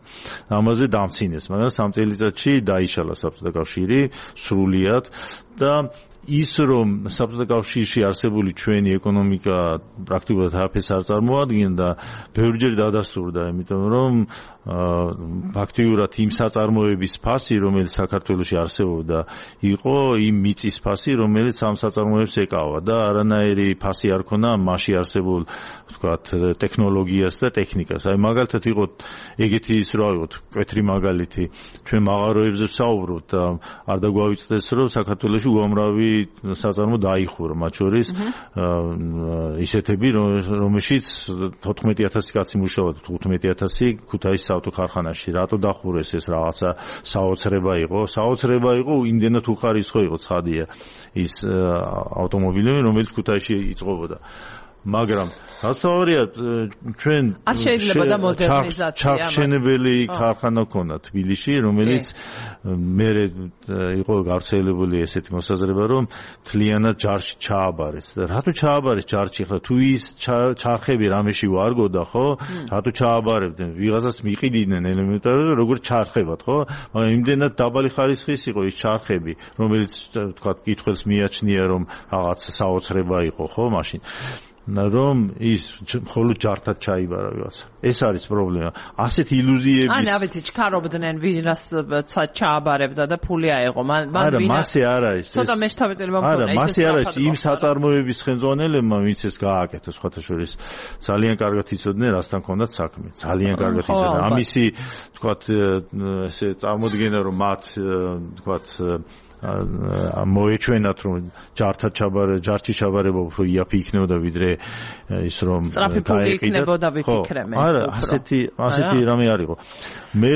ამაზე დამცინეს, მაგრამ 3 წელიწადში დაიშალა საბჭოთა კავშირი სრულიად და ის რომ საბჭოთა კავშირში არსებული ჩვენი ეკონომიკა პრაქტიკულად არაფერს არ წარმოადგენდა, ბევრჯერ დადასტურდა, იმიტომ რომ ფაქტიურად იმ საწარმოების ფასი, რომელიც საქართველოში არსებობდა, იყო იმ მიწის ფასი, რომელიც ამ საწარმოებს ეკავა და არანაირი ფასი არ ქონა მასში არსებულ, ვთქვათ, ტექნოლოგიას და ტექნიკას. აი მაგალითად იყო ეგეთი ის რა ვიყოთ, მკვეთრი მაგალითი, ჩვენ მაღაროებზე ვსაუბრობთ და არ დაგვავიწყდეს, რომ საქართველოში უამრავი საწარმო დაიხურა, მათ შორის ისეთები, რომელშიც 14000 კაცი მუშაობდა, 15000 ქუთაისის ავტოქარხანაში. რატო დახურეს ეს რაღაცა საოცრება იყო? საოცრება იყო, იმდენად უხარისხო იყო, ცხადია ის ავტომობილები, რომელიც ქუთაისში იწყობოდა. მაგრამ გასავალია ჩვენ არ შეიძლება და მოდერნიზაცია ჩახშენებელი ქარხანა ქონდა თბილისში, რომელიც მერე იყო გავრცელებული ესეთი მოსაზრება, რომ თლიანად ჯარში ჩააბარეს. და რატო ჩააბარეს ჯარში? ხლა თუ ის ჩარხები რამეში ვარგოდა, ხო? რატო ჩააბარებდნენ? ვიღაცას მიყიდნენ ელემენტარულად, როგორც ჩარხებად, ხო? მაგრამ იმდენად დაბალი ხარისხის იყო ის ჩარხები, რომელიც თქვა კითხველს მიაჩნია, რომ რაღაც საოცრება იყო, ხო, მაშინ რომ ის მხოლოდ ჯართად ჩაიბარა ვიღაცა. ეს არის პრობლემა. ასეთ ილუზიების ან ავიცი ჩქარობდნენ ვინაც ჩააბარებდა და ფული აეღო. არა, მასე არა ის. ცოტა მეშთავეტელი მომქონდა. არა, მასე არა ის იმ საწარმოების ხელმძღვანელებმა, ვინც ეს გააკეთა სხვათა შორის ძალიან კარგად იცოდნენ, რასთან ჰქონდათ საქმე. ძალიან კარგად იცოდნენ. ამისი თქვათ ესე წარმოდგენა რომ მათ თქვათ მოეჩვენათ რომ ჯარში ჩაბარება უფრო იაფი იქნებოდა ვიდრე ის რომ გაიყიდებოდა ვიფიქრე მე. არა, ასეთი რამე არისო. მე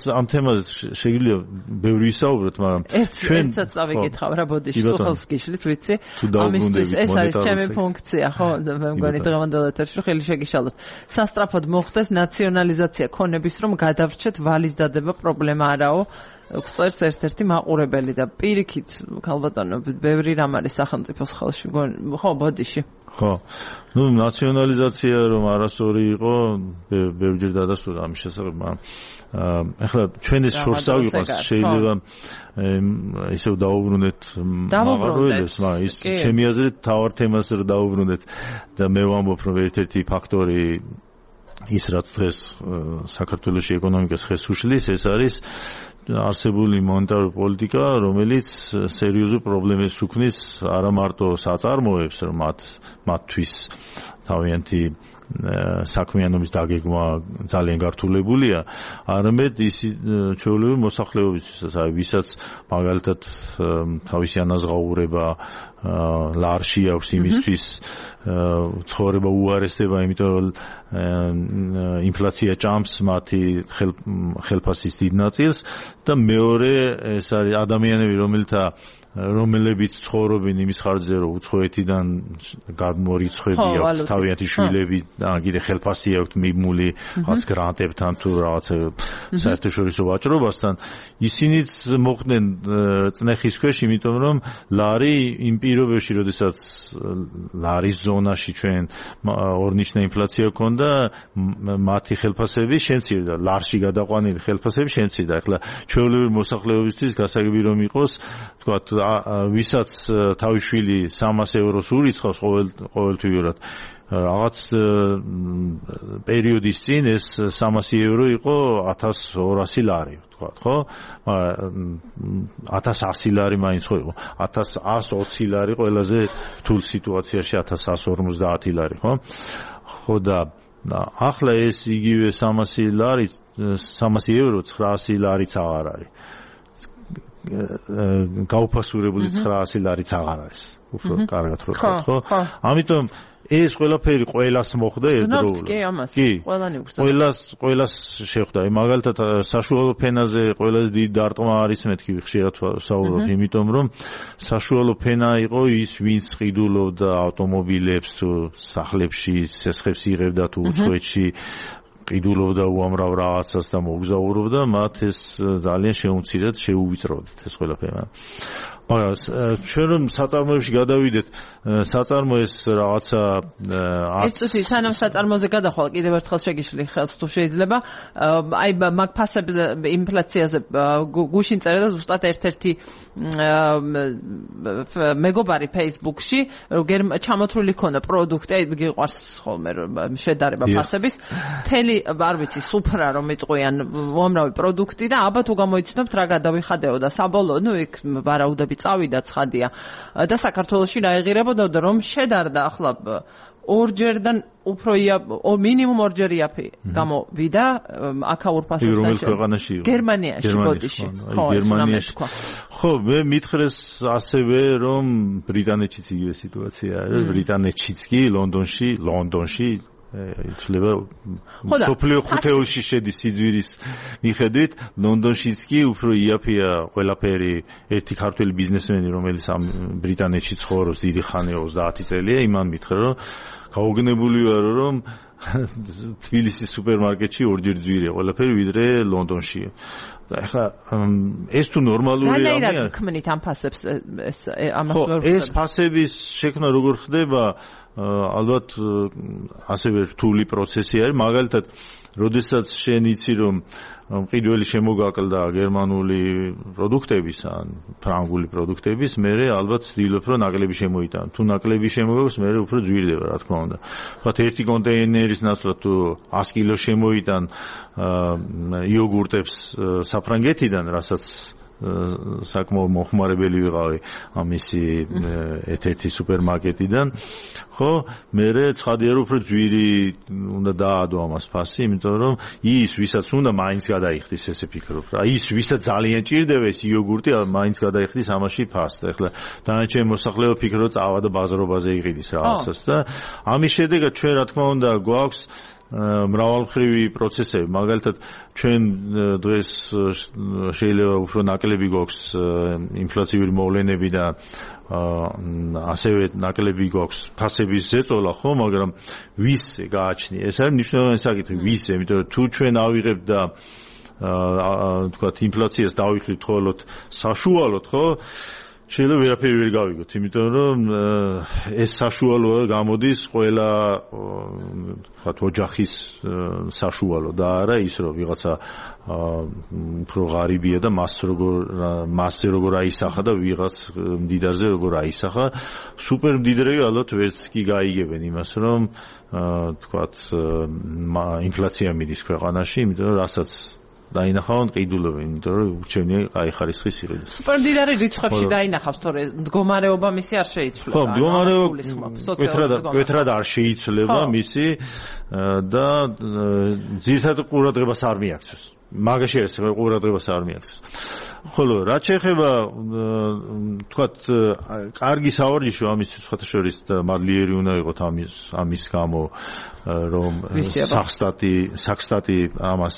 ამ თემაზე შეგვიძლია ბევრი ვისაუბროთ, მაგრამ ჩვენც წავიკითხავ რა ბოდიში სულხელს გიშლით, ვიცი? ამისთვის ეს არის ჩემი ფუნქცია, ხო? მე მგონი დღევანდელ ეთერში ხელი შეგიშალოთ. სასტრაფოდ მოხდეს ნაციონალიზაცია ქონების რომ გადავრჩეთ ვალის დადება პრობლემა არაო. გვწერს ერთ-ერთი მაყურებელი და პირიქით ქალბატონო ბევრი რამ არის სახელმწიფოს ხელში ხო ბოდიში ხო ნუ ნაციონალიზაცია რომ არასწორი იყო ბევრჯერ დადასტურდა ამის შესახებ მაგრამ ახლა ჩვენ ეს შორს ავიღოს შეიძლება ისევ დაუბრუნდეთ მაგალითს მაგრამ ის ჩემი აზრით თავარ თემას რა დაუბრუნდეთ და მე ვამბობ რომ ერთ-ერთი ფაქტორი ის რაც დღეს საქართველოში ეკონომიკას ხეს უშლის ეს არის არსებული მონეტარული პოლიტიკა, რომელიც სერიოზულ პრობლემებს უქმნის არა მარტო საწარმოებს, რომ მათთვის თავიანთი საქმიანობის დაგეგმა ძალიან გართულებულია, არამედ ის ჩვეულებრივი მოსახლეობისთვისაც, ვისაც მაგალითად თავისი ანაზღაურება ლარში აქვს იმისთვის ცხოვრება უარესდება, იმიტომ რომ ინფლაცია ჭამს მათი ხელფასის დიდ ნაწილს და მეორე ეს არის ადამიანები რომელებიც ცხოვრობენ იმის ხარჯზე რომ უცხოეთიდან გადმორიცხვები აქვს თავიანთი შვილები და კიდე ხელფასი აქვს მიბმული რაღაც გრანტებთან თუ რაღაცა საერთაშორისო ვაჭრობასთან ისინიც მოხდნენ წნეხის ქვეშ იმიტომ რომ ლარი იმ პირობებში როდესაც ლარის ზონაში ჩვენ ორნიშნა ინფლაცია ჰქონდა მათი ხელფასები შემცირდა ლარში გადაყვანილი ხელფასები შემცირდა ახლა ჩვეულებრივი მოსახლეობისთვის გასაგები რომ იყოს თქვათ ვისაც თავის შვილი 300 ევროს ურიცხავს ყოველთვიურად რაღაც პერიოდის წინ ეს 300 евро იყო 1200 ლარი თქვა ხო 1100 ლარი მაინც ხო იყო 1120 ლარი ყველაზე რთულ სიტუაციაში 1150 ლარი ხო ხო და ახლა ეს იგივე 300 ლარი 300 евро 900 ლარიც აღარ არის გაუფასურებული 900 ლარიც აღარ არის უფრო კარგად რო ხო ამიტომ ეს ყველაფერი ყველას მოხდა ერთდროულად კი ყველანი უხსნა ყველას შეხვდა მაგალითად საშუალო ფენაზე ყველაზე დიდი დარტყმა არის მეთქი ხშირად საუბრობ იმიტომ რომ საშუალო ფენა იყო ის ვინც ყიდულობდა ავტომობილებს თუ სახლებში სესხებს იღებდა თუ უცხოეთში ყიდულობდა უამრავ რაღაცას და მოგზაურობდა მათ ეს ძალიან შეუმცირდათ შეუვიწროდათ ეს ყველაფერი მაგრამ ჩვენ რომ საწარმოებში გადავიდეთ საწარმო ეს რაღაცა ეს სანამ საწარმოზე გადახვალ კიდევ ერთხელ შეგიშლი ხელს თუ შეიძლება აი მაგ ფასებზე ინფლაციაზე გუშინ წერდა ზუსტად ერთ-ერთი მეგობარი Facebook-ში რომ ჩამოთვლილი ქონდა პროდუქტი აი გიყვარს ხოლმე შედარება ფასების თელი არ ვიცი სუფრა რომ იტყვიან უამრავი პროდუქტი და აბა თუ გამოიცნობთ რა გადავიხადეო და საბოლოო ნუ იქ ვარაუდები წავიდა ცხადია და საქართველოში რაიღირებოდა რომ შედარდა ახლა ორჯერდან უფრო მინიმუმ ორჯერ იაფი გამოვიდა აქაურ ფასებთან რომელ ქვეყანაში გერმანიაში ბოდიში ხო გერმანიაში ხო მე მითხრეს ასევე რომ ბრიტანეთშიც იგივე სიტუაცია არის ბრიტანეთშიც კი ლონდონში ითვლება სოფლიო ხუთეულში შედის სიძვირის მიხედვით ლონდონშიც კი უფრო იაფია ყველაფერი ერთი ქართველი ბიზნესმენი რომელიც ამ ბრიტანეთში ცხოვრობს დიდი ხანია 30 წელია იმან მითხრა რომ გაუგნებული ვარო რომ თბილისის სუპერმარკეტში ორჯერ ძვირია ყველაფერი ვიდრე ლონდონში. და ეხლა ეს თუ ნორმალური ამია. რანაირად ქმნით ამ ფასებს ეს ფასების შექმნა როგორ ხდება? ალბათ ასევე რთული პროცესი არის. მაგალითად, როდესაც შენ იცი რომ მყიდველი შემოგაკლდა გერმანული პროდუქტების ან ფრანგული პროდუქტების, მე ალბათ ვცდილობ რომ ნაკლები შემოიტანო. თუ ნაკლები შემოგაქვს, მე უფრო ძვირდება, რა თქმა უნდა. ვთქვათ, ერთი კონტეინერის ნაცვლად თუ 100 კილო შემოიტან იოგურტებს საფრანგეთიდან, რასაც საკმაოდ მოხმარებელი ვიყავი ამისი ერთ-ერთი სუპერმარკეტიდან, ხო, მე ცხადია რომ უფრო ძვირი უნდა დაადო ამას ფასი, იმიტომ რომ ის ვისაც უნდა მაინც გადაიხდის, ესე ფიქრობ რა. ის ვისაც ძალიან ჭირდება ეს იოგურტი, მაინც გადაიხდის ამაში ფასს. ეხლა დანარჩენი მოსახლეობა ფიქრობს წავა და ბაზრობაზე იყიდის რაღაცას და ამის შედეგად ჩვენ რა თქმა უნდა გვაქვს მრავალმხრივი პროცესები. მაგალითად, ჩვენ დღეს შეიძლება უფრო ნაკლები გვაქვს ინფლაციური მოვლენები და ასევე ნაკლები გვაქვს ფასების ზეწოლა, ხო, მაგრამ ვისზე გააჩნია? ეს არის მნიშვნელოვანი საკითხი, ვისზე, იმიტომ რომ თუ ჩვენ ავიღებთ და თქვათ ინფლაციას დავიხლით ხოლოდ საშუალოდ, ხო? შეიძლება ვერაფერი ვერ გავიგოთ, იმიტომ რომ ეს საშუალო გამოდის ყველა თქვათ ოჯახის საშუალო და არა ის რომ ვიღაცა უფრო ღარიბია და მასზე როგორ აისახა და ვიღაც მდიდარზე როგორ აისახა. სუპერ მდიდრები ალბათ ვერც კი გაიგებენ იმას, რომ თქვათ ინფლაცია მიდის ქვეყანაში, იმიტომ რომ რასაც დაინახავენ ყიდულობენ, იმიტომ რომ ურჩევნია კაი ხარისხის იყიდოს. სუპერმდიდარი რიცხვებში დაინახავს, თორე მდგომარეობა მისი არ შეიცვლება. ხო, მდგომარეობა კვეთრად არ შეიცვლება მისი და ძირითადად ყურადღებას არ მიაქცევს. მაგაში არის ყურადღებას არ მიაქცევს. ხოლო რაც შეეხება თქვათ კარგი სავარჯიშო ამისთვის სხვათა შორის მადლიერი უნდა იყოთ ამის გამო რომ საქსტატი ამას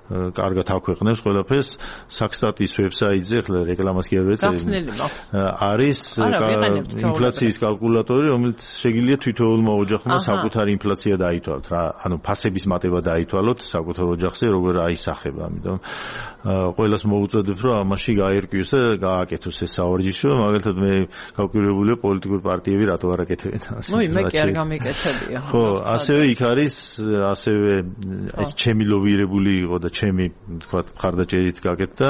კარგად აქვეყნებს ყველაფერს. საქსტატის ვებსაიტზე ახლა რეკლამას კი არ ვეწერია. არის ინფლაციის კალკულატორი, რომელიც შეგიძლია თითოეულმა ოჯახმა საკუთარი ინფლაცია დაითვალოთ რა, ანუ ფასების მატება დაითვალოთ საკუთარ ოჯახზე როგორ აისახება. ამიტომ ყველას მოუწოდებ რომ ამაში გაერკვიოს და გააკეთოს ეს სავარჯიშო. მაგალითად მე გავკვირვებულია პოლიტიკური პარტიები რატო არ აკეთებენ ამას. ნუ მე კი არ გამიკეთებია. ხო, ასევე იქ არის ასევე ეს ჩემი ლოვირებული იყო და ჩემი თქვათ მხარდაჭერით გაკეთდა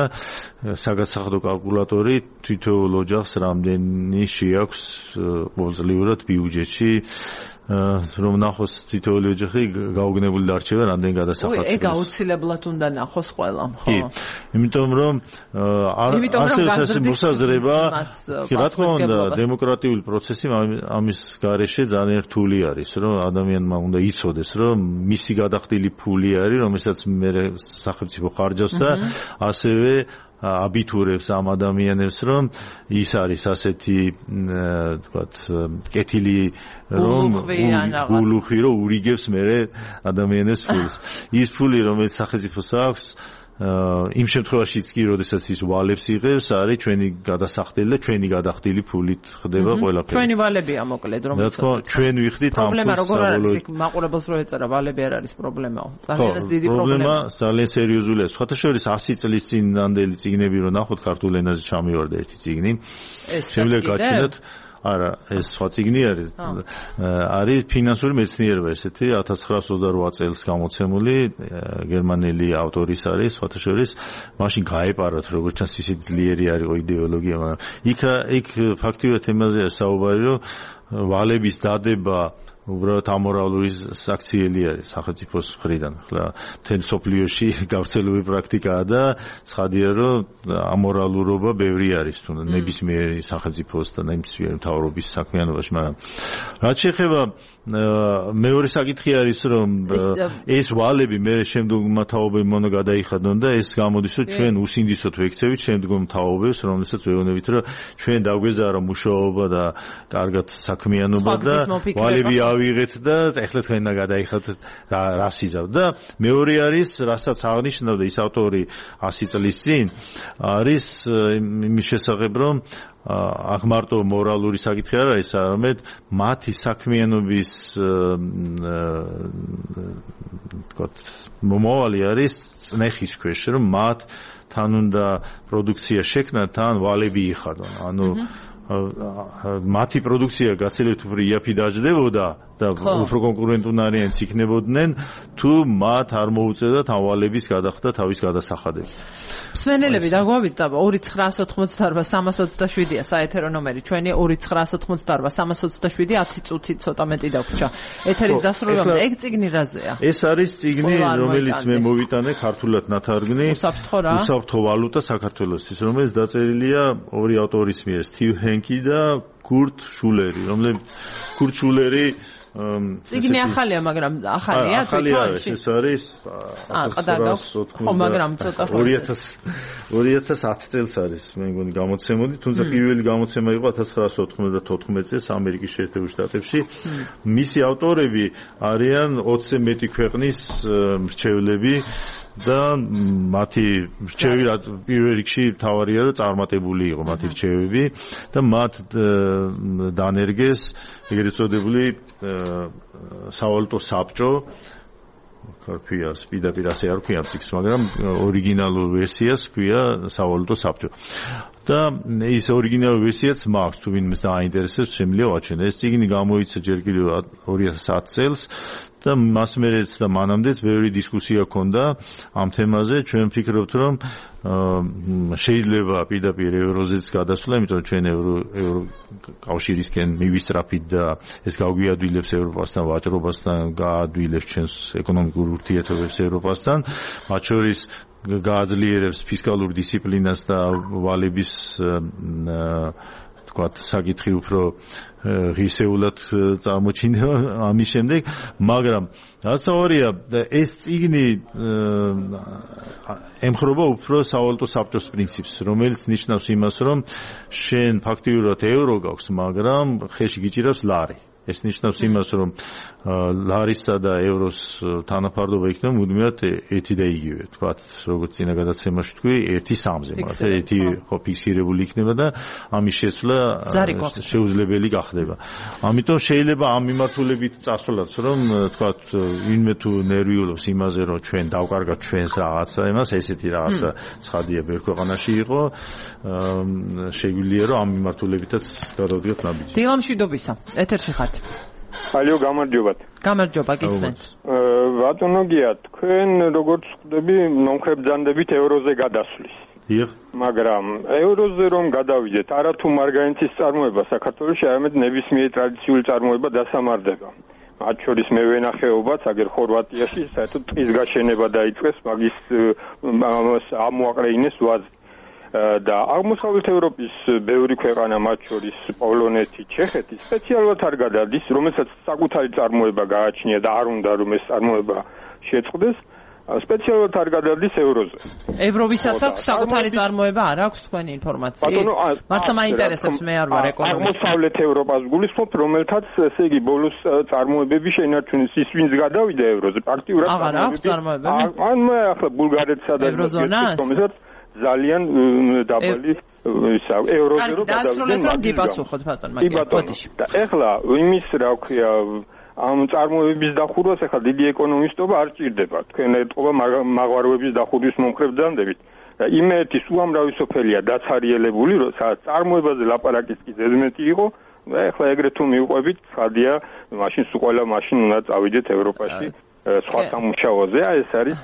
საგასახადო კალკულატორი თითოეულ ოჯახს რამდენი შეაქვს ყოველწლიურად ბიუჯეტში რომ ნახოს თითოეული ოჯახი გაუგნებული დარჩება რამდენი გადასახადს. ეგ აუცილებლად უნდა ნახოს ყველამ, ხო? კი. იმიტომ რომ ასე მოსაზრება, რა თქმა უნდა, დემოკრატიული პროცესი ამის გარეშე ძალიან რთული არის, რომ ადამიანმა უნდა იცოდეს, რომ მისი გადახდილი ფული არის, რომელსაც მე სახელმწიფო ხარჯავს და ასევე აბიტურებს ამ ადამიანებს, რომ ის არის ასეთი თქვათ კეთილი რომ გულუხი რომ ურიგებს მე ადამიანებს ფულს. ის ფული რომელიც სახელმწიფოს აქვს იმ შემთხვევაშიც კი, როდესაც ის ვალებს იღებს, არის ჩვენი გადასახდელი და ჩვენი გადახდილი ფულით ხდება ყველაფერი. ჩვენი ვალებია მოკლედ, რომელიც ჩვენ ვიხდით ამ პრობლემა როგორ არის იქ მაყურებელს რო ეწერა ვალები არ არის პრობლემაო. ძალიან დიდი პრობლემა. ძალიან სერიოზულია. სხვათა შორის 100 წლის წინანდელი წიგნები რო ნახოთ ქართულ ენაზე ჩამივარდა ერთი წიგნი. შემიძლია გაჩნდათ არა, ეს სხვა წიგნი არის. არის ფინანსური მეცნიერება ესეთი 1928 წელს გამოცემული გერმანელი ავტორის არის, სხვათა შორის მაშინ გაეპარათ როგორც ჩანს ისე ძლიერი არისო იდეოლოგია, მაგრამ იქ ფაქტიურად ემაზე საუბარი რომ ვალების დადება უბრალოდ ამორალური საქციელი არის სახელმწიფოს მხრიდან. ახლა მთელ სოფლიოში გავრცელებული პრაქტიკაა და ცხადია რომ ამორალურობა ბევრი არის თუნდაც ნებისმიერი სახელმწიფოს და ნებისმიერი მთავრობის საქმიანობაში, მაგრამ რაც შეეხება მეორე საკითხი არის რომ ეს ვალები მე შემდგომ თაობები უნდა გადაიხადონ და ეს გამოდის რომ ჩვენ უსინდისოდ ვექცევით შემდგომ თაობებს, რომელსაც ვეუბნებით რომ ჩვენ დაგვეზარა მუშაობა და კარგად საქმიანობა და ვალები გადავიღეთ და ეხლა თქვენ და გადაიხადეთ რას იზავთ და მეორე არის რასაც აღნიშნავდა ის ავტორი 100 წლის წინ არის იმის შესახებ რომ აქ მარტო მორალური საკითხი არ არის, არამედ მათი საქმიანობის თქვათ მომავალი არის წნეხის ქვეშ, რომ მათთან უნდა პროდუქცია შექმნათ, თან ვალები იხადონ. ანუ მათი პროდუქცია გაცილებით უფრო იაფი დაждდებოდა და უფრო კონკურენტუნარიანიც იქნებოდნენ, თუ მათ არ მოუწევდათ ავალების გადახდა თავის გადასახადები. მსმენელები დაგვავიდა 2988-327-ია საეთერო ნომერი. ჩვენი 2988-327 10 წუთი ცოტა მეტი დაგვრჩა. ეთერის დასრულებამდე ეგ წიგნი რაზეა? ეს არის წიგნი, რომელიც მე მოვიტანე ქართულად ნათარგმნი. უსაფრთხო ვალუტა საქართველოსთვის, რომელიც დაწერილია ორი ავტორის მიერ, სტივ ჰენკი და კურტ შულერი, რომელიც კურტ შულერი წიგნი ახალია, მაგრამ ახალია თვითონ ეს არის 2010 წელს არის მე მგონი გამოცემოდი, თუმცა პირველი გამოცემა იყო 1994 წელს ამერიკის შეერთებულ შტატებში. მისი ავტორები არიან 20-ზე მეტი ქვეყნის მრჩევლები და მათი მრჩევი პირველ რიგში თავარია რომ წარმატებული იყო მათი მრჩევები და მათ დანერგეს ეგრეთ წოდებული სავალუტო საბჭო ქართიას პირდაპირ ასე არ ქვია წიგნს, მაგრამ ორიგინალურ ვერსიას ქვია სავალუტო საბჭო. და ის ორიგინალური ვერსიაც მაქვს, თუ ვინმეს დააინტერესებს, შემიძლია ვაჩვენო. ეს წიგნი გამოიცა ჯერ კიდევ 2010 წელს და მას მერეც და მანამდეც ბევრი დისკუსია ჰქონდა ამ თემაზე. ჩვენ ვფიქრობთ, რომ შეიძლება პირდაპირ ევროზეც გადასვლა, იმიტომ რომ ჩვენ ევროკავშირისკენ მივისწრაფით და ეს გავგვიადვილებს ევროპასთან, ვაჭრობასთან, გაადვილებს ჩვენს ეკონომიკურ ურთიერთობებს ევროპასთან, მათ შორის გააძლიერებს ფისკალურ დისციპლინას და ვალების თქვათ საკითხი უფრო ღირსეულად წარმოჩინდება ამის შემდეგ, მაგრამ რაც აღარია ეს წიგნი ემხრობა უფრო სავალუტო საბჭოს პრინციპს, რომელიც ნიშნავს იმას, რომ შენ ფაქტიურად ევრო გაქვს, მაგრამ ხელში გიჭირავს ლარი. ეს ნიშნავს იმას, რომ ლარისა და ევროს თანაფარდობა იქნება მუდმივად ერთი და იგივე. თქვათ, როგორც წინა გადაცემაში თქვი, 1:3-ზე, მაგრამ ერთი ხო ფიქსირებული იქნება და ამის შესვლა შეუძლებელი გახდება. ამიტომ შეიძლება ამ მიმართულებით წასვლაც, რომ თქვათ, ვინმე თუ ნერვიულობს იმაზე, რომ ჩვენ დავკარგათ ჩვენს რაღაცა იმას, ესეთი რაღაცა ცხადია ბევრ ქვეყანაში იყო, შეგვიძლია რომ ამ მიმართულებითაც გადავდიოთ ნაბიჯი. დილამშვიდობისა. ეთერში ხართ. ალო, გამარჯობათ. გამარჯობა, გისმენთ. ბატონო გია, თქვენ როგორც ხვდები, მომხრებძანდებით ევროზე გადასვლის. დიახ. მაგრამ ევროზე რომ გადავიდეთ, არათუ მარგარიტის წარმოება საქართველოში, არამედ ნებისმიერი ტრადიციული წარმოება დასამარდება. მათ შორის მევენახეობაც, აგერ ხორვატიაში, საერთოდ ტყის გაშენება დაიწყეს, მაგის ამოაყრეინეს ვაზი. და აღმოსავლეთ ევროპის ბევრი ქვეყანა, მათ შორის პოლონეთი, ჩეხეთი, სპეციალურად არ გადადის, რომელსაც საკუთარი წარმოება გააჩნია და არ უნდა რომ ეს წარმოება შეწყდეს, სპეციალურად არ გადადის ევროზე. ევროვისაც საკუთარი წარმოება არ აქვს თქვენი ინფორმაციით? მართლა მაინტერესებს, მე არ ვარ ეკონომისტი. აღმოსავლეთ ევროპას გულისხმობ, რომელთაც ესე იგი ბოლოს წარმოებები შეინარჩუნეს, ის ვინც გადავიდა ევროზე, პრაქტიკულად აღარ აქვს წარმოებები? ან მე ახლა ბულგარეთსა და რომელსაც ძალიან დაბალი ისა ევროზე რომ გადავიდნენ გიპასუხოთ ბატონო მაგალითად. და ეხლა იმის რა ქვია ამ წარმოებების დახურვას ახლა დიდი ეკონომისტობა არ ჭირდება. თქვენ ეტყობა მაღვაროების დახურვის მომხრებძანდებით. იმერთის უამრავი სოფელია დაცარიელებული, სადაც წარმოებაზე ლაპარაკის კი ზედმეტი იყო. ეხლა ეგრეთ თუ მივყვებით, ხადია, მაშინ სულ ყველა მაშინ უნდა წავიდეთ ევროპაში. სხვა სამუშაოზე, ეს არის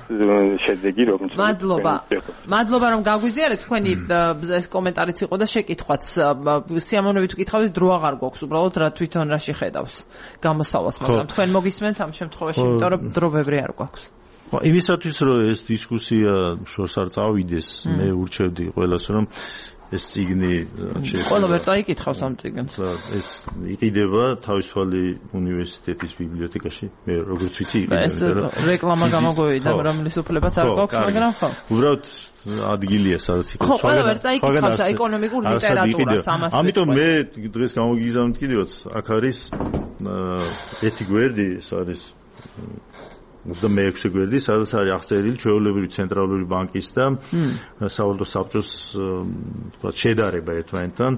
შედეგი, რომელიც მადლობა რომ გაგვიზიარეთ, თქვენი ეს კომენტარიც იყო და შეკითხვაც სიამოვნებით ვკითხავთ, დრო აღარ გვაქვს უბრალოდ რა თვითონ რა შეხედავს გამოსავალს, მაგრამ თქვენ მოგისმენთ ამ შემთხვევაში, იმიტომ რომ დრო ბევრი არ გვაქვს. იმისათვის რომ ეს დისკუსია შორს არ წავიდეს, მე ურჩევდი ყველას რომ ეს წიგნი ყველა ვერ წაიკითხავს ამ წიგნს. ეს იყიდება თავისუფალი უნივერსიტეტის ბიბლიოთეკაში. მე როგორც ვიცი, ეს რეკლამა გამოგვივიდა, რომლის უფლებაც არ გვაქვს, მაგრამ ხო. უბრალოდ ადგილია, სადაც იყო. ხო, ყველა ვერ წაიკითხავს ეკონომიკურ ლიტერატურას ამას. ამიტომ მე დღეს გამოგიგზავნით კიდევაც, აქ არის ერთი გვერდი ეს არის 26 გვერდი, სადაც არის აღწერილი ჩვეულებრივი ცენტრალური ბანკის და სავალუტო საბჭოს თქვათ შედარება ერთმანეთთან,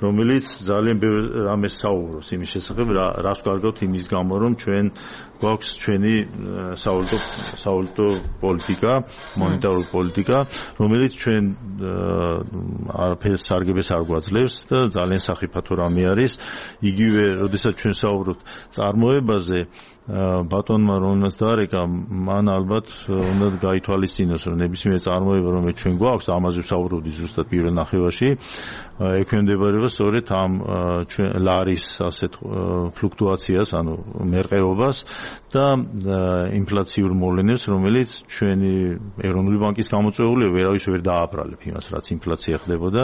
რომელიც ძალიან ბევრ რამეს საუბრობს იმის შესახებ, რას კარგავთ იმის გამო, რომ ჩვენ გვაქვს ჩვენი სავალუტო პოლიტიკა, მონეტარული პოლიტიკა, რომელიც ჩვენ არაფერს სარგებელს არ გვაძლევს და ძალიან სახიფათო რამე არის. იგივე, როდესაც ჩვენ საუბრობთ წარმოებაზე, ბატონმა რომელსაც დაარეკა, მან ალბათ უნდა გაითვალისწინოს, რომ ნებისმიერ წარმოება, რომელიც ჩვენ გვაქვს, ამაზე ვსაუბრობდი ზუსტად პირველ ნახევარში, ექვემდებარება სწორედ ამ ჩვენ ლარის ასეთ ფლუქტუაციას, ანუ მერყეობას და ინფლაციურ მოვლენებს, რომელიც ჩვენი ეროვნული ბანკის გამოწვეულია, ვერავის ვერ დააბრალებ იმას, რაც ინფლაცია ხდებოდა.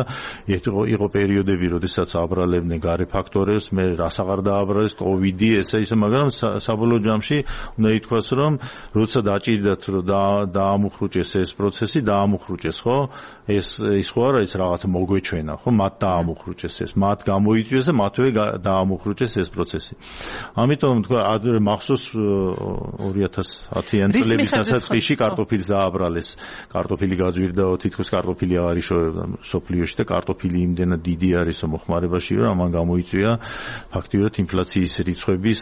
იყო პერიოდები, როდესაც აბრალებდნენ გარე ფაქტორებს, მე რას აღარ დააბრალეს, კოვიდი, ესა, მაგრამ საბოლოო ჯამში უნდა ითქვას, რომ როცა დაჭირდათ, რომ დაამუხრუჭეს ეს პროცესი, დაამუხრუჭეს, ხო? ეს ხო არა, ის რაღაცა მოგვეჩვენა, ხო? მათ დაამუხრუჭეს ეს, მათ გამოიწვიეს და მათვე დაამუხრუჭეს ეს პროცესი. ამიტომ თქვა, მახსოვს 2010-იან წლების დასაწყისში კარტოფილს დააბრალეს. კარტოფილი გაძვირდაო, თითქოს კარტოფილი აღარ იშოვებდა სოფლიოში და კარტოფილი იმდენად დიდი არის მოხმარებაში, რომ ამან გამოიწვია ფაქტიურად ინფლაციის რიცხვების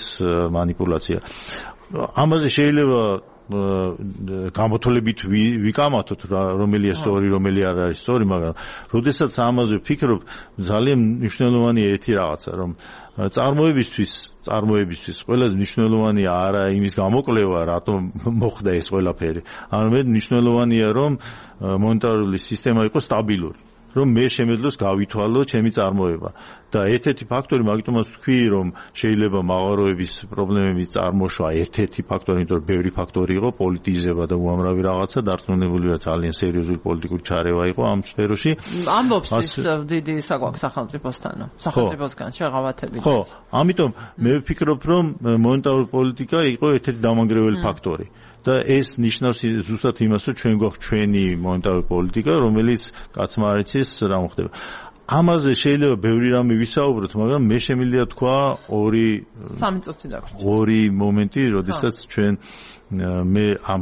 манипуляция. ამაზე შეიძლება გამოთვლებით ვიკამათოთ რომელია სწორი, რომელი არ არის სწორი, მაგრამ როდესაც ამაზე ვფიქრობ, ძალიან მნიშვნელოვანია ერთი რაღაცა, რომ წარმოებისთვის ყველაზე მნიშვნელოვანია არა იმის გამოკვლევა, რატომ მოხდა ეს ყველაფერი. არამედ მნიშვნელოვანია, რომ მონეტარული სისტემა იყოს სტაბილური. რომ მე შემეძლოს გავითვალო ჩემი წარმოება და ერთ-ერთი ფაქტორი მაგიტომაც ვთქვი, რომ შეიძლება მაღაროების პრობლემების წარმოშვა ერთ-ერთი ფაქტორი, იმიტომ რომ ბევრი ფაქტორი იყო, პოლიტიზება და უამრავი რაღაცა, დარწმუნებული ვარ ძალიან სერიოზული პოლიტიკური ჩარევა იყო ამ სფეროში. ამბობს ის დიდი საკვაკ სახელმწიფოსგან შეღავათებით. ხო, ამიტომ მე ვფიქრობ, რომ მონეტარული პოლიტიკა იყო ერთ-ერთი დამანგრეველი ფაქტორი. და ეს ნიშნავს ზუსტად იმას, რომ ჩვენ გვაქვს ჩვენი მონეტარული პოლიტიკა, რომელიც კაცმა არ იცის რა მოხდება. ამაზე შეიძლება ბევრი რამე ვისაუბროთ, მაგრამ მე შემიძლია თქვა ორი მომენტი, როდესაც ჩვენ მე ამ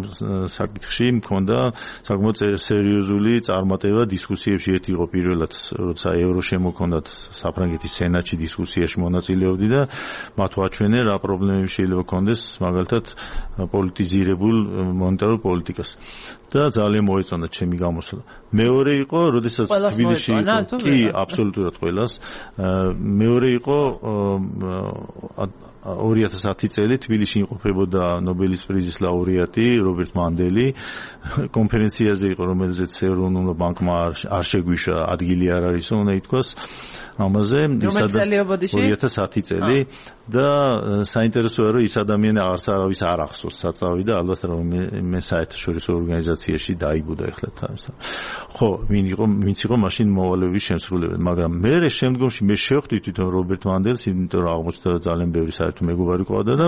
საკითხში მქონდა საკმაოდ სერიოზული წარმატება დისკუსიებში. ერთი იყო პირველად, როცა ევრო შემოქონდათ საფრანგეთის სენატში დისკუსიაში მონაწილეობდი და მათ ვაჩვენე რა პრობლემები შეიძლება ქონდეს მაგალითად პოლიტიზირებულ მონეტარულ პოლიტიკას და ძალიან მოეწონა ჩემი გამოსვლა. მეორე იყო, როდესაც თბილისში კი აბსოლუტურად ყველას. მეორე იყო 2010 წელი თბილისში იმყოფებოდა ნობელის პრიზის ლაურეატი რობერტ მანდელი. კონფერენციაზე იყო, რომელზეც ეროვნულ ბანკმა არ შეგვიშა, ადგილი არ არის, უნდა ითქვას ამაზე. 2010 წელი და საინტერესოა, რომ ის ადამიანი აღარც არავის არ ახსოვს საწავი და ალბათ რომ მე საერთაშორისო ორგანიზაციაში დაიბუდა ეხლა თავს. ხო, ვინც იყო მაშინ მოვალეობის შემსრულებელი, მაგრამ მე შემდგომში მე შევხვდი თვითონ რობერტ მანდელს, იმიტომ რომ აღმოჩნდა ძალიან ბევრი საერთო მეგობარი ყავდა და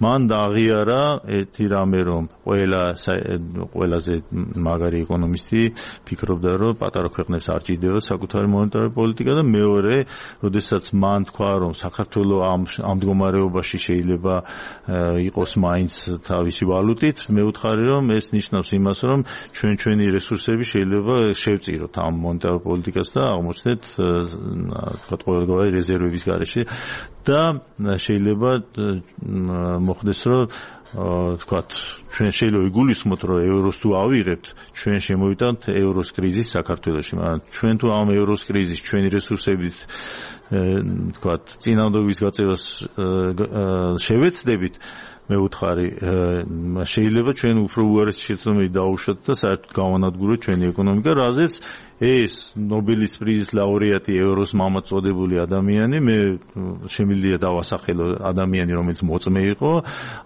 მან დააღიარა ერთი რამე, რომ ყველაზე მაგარი ეკონომისტი ფიქრობდა, რომ პატარა ქვეყნებს არ ჭირდება საკუთარი მონეტარული პოლიტიკა და მეორე, როდესაც მან თქვა, რომ საქართველოს ამ მდგომარეობაში შეიძლება იყოს მაინც თავისი ვალუტით, მე ვუთხარი, რომ ეს ნიშნავს იმას, რომ ჩვენი რესურსები შეიძლება შევწიროთ ამ მონეტარულ პოლიტიკას და აღმოჩნდეთ თქვა ყოველგვარი რეზერვების გარეშე და შეიძლება მოხდეს, რომ თქვათ ჩვენ შეიძლება ვიგულისხმოთ, რომ ევროს თუ ავიღებთ, ჩვენ შემოვიტანთ ევროს კრიზის საქართველოში, მაგრამ ჩვენ თუ ამ ევროს კრიზის ჩვენი რესურსებით თქვათ წინააღმდეგობის გაწევას შევეცდებით, მე ვუთხარი, შეიძლება ჩვენ უფრო უარესი შეცდომები დაუშვათ და საერთოდ გავანადგუროთ ჩვენი ეკონომიკა, რაზეც ეს ნობელის პრიზის ლაურეატი ევროს მამად წოდებული ადამიანი, მე შემიძლია დავასახელო ადამიანი, რომელიც მოწმე იყო,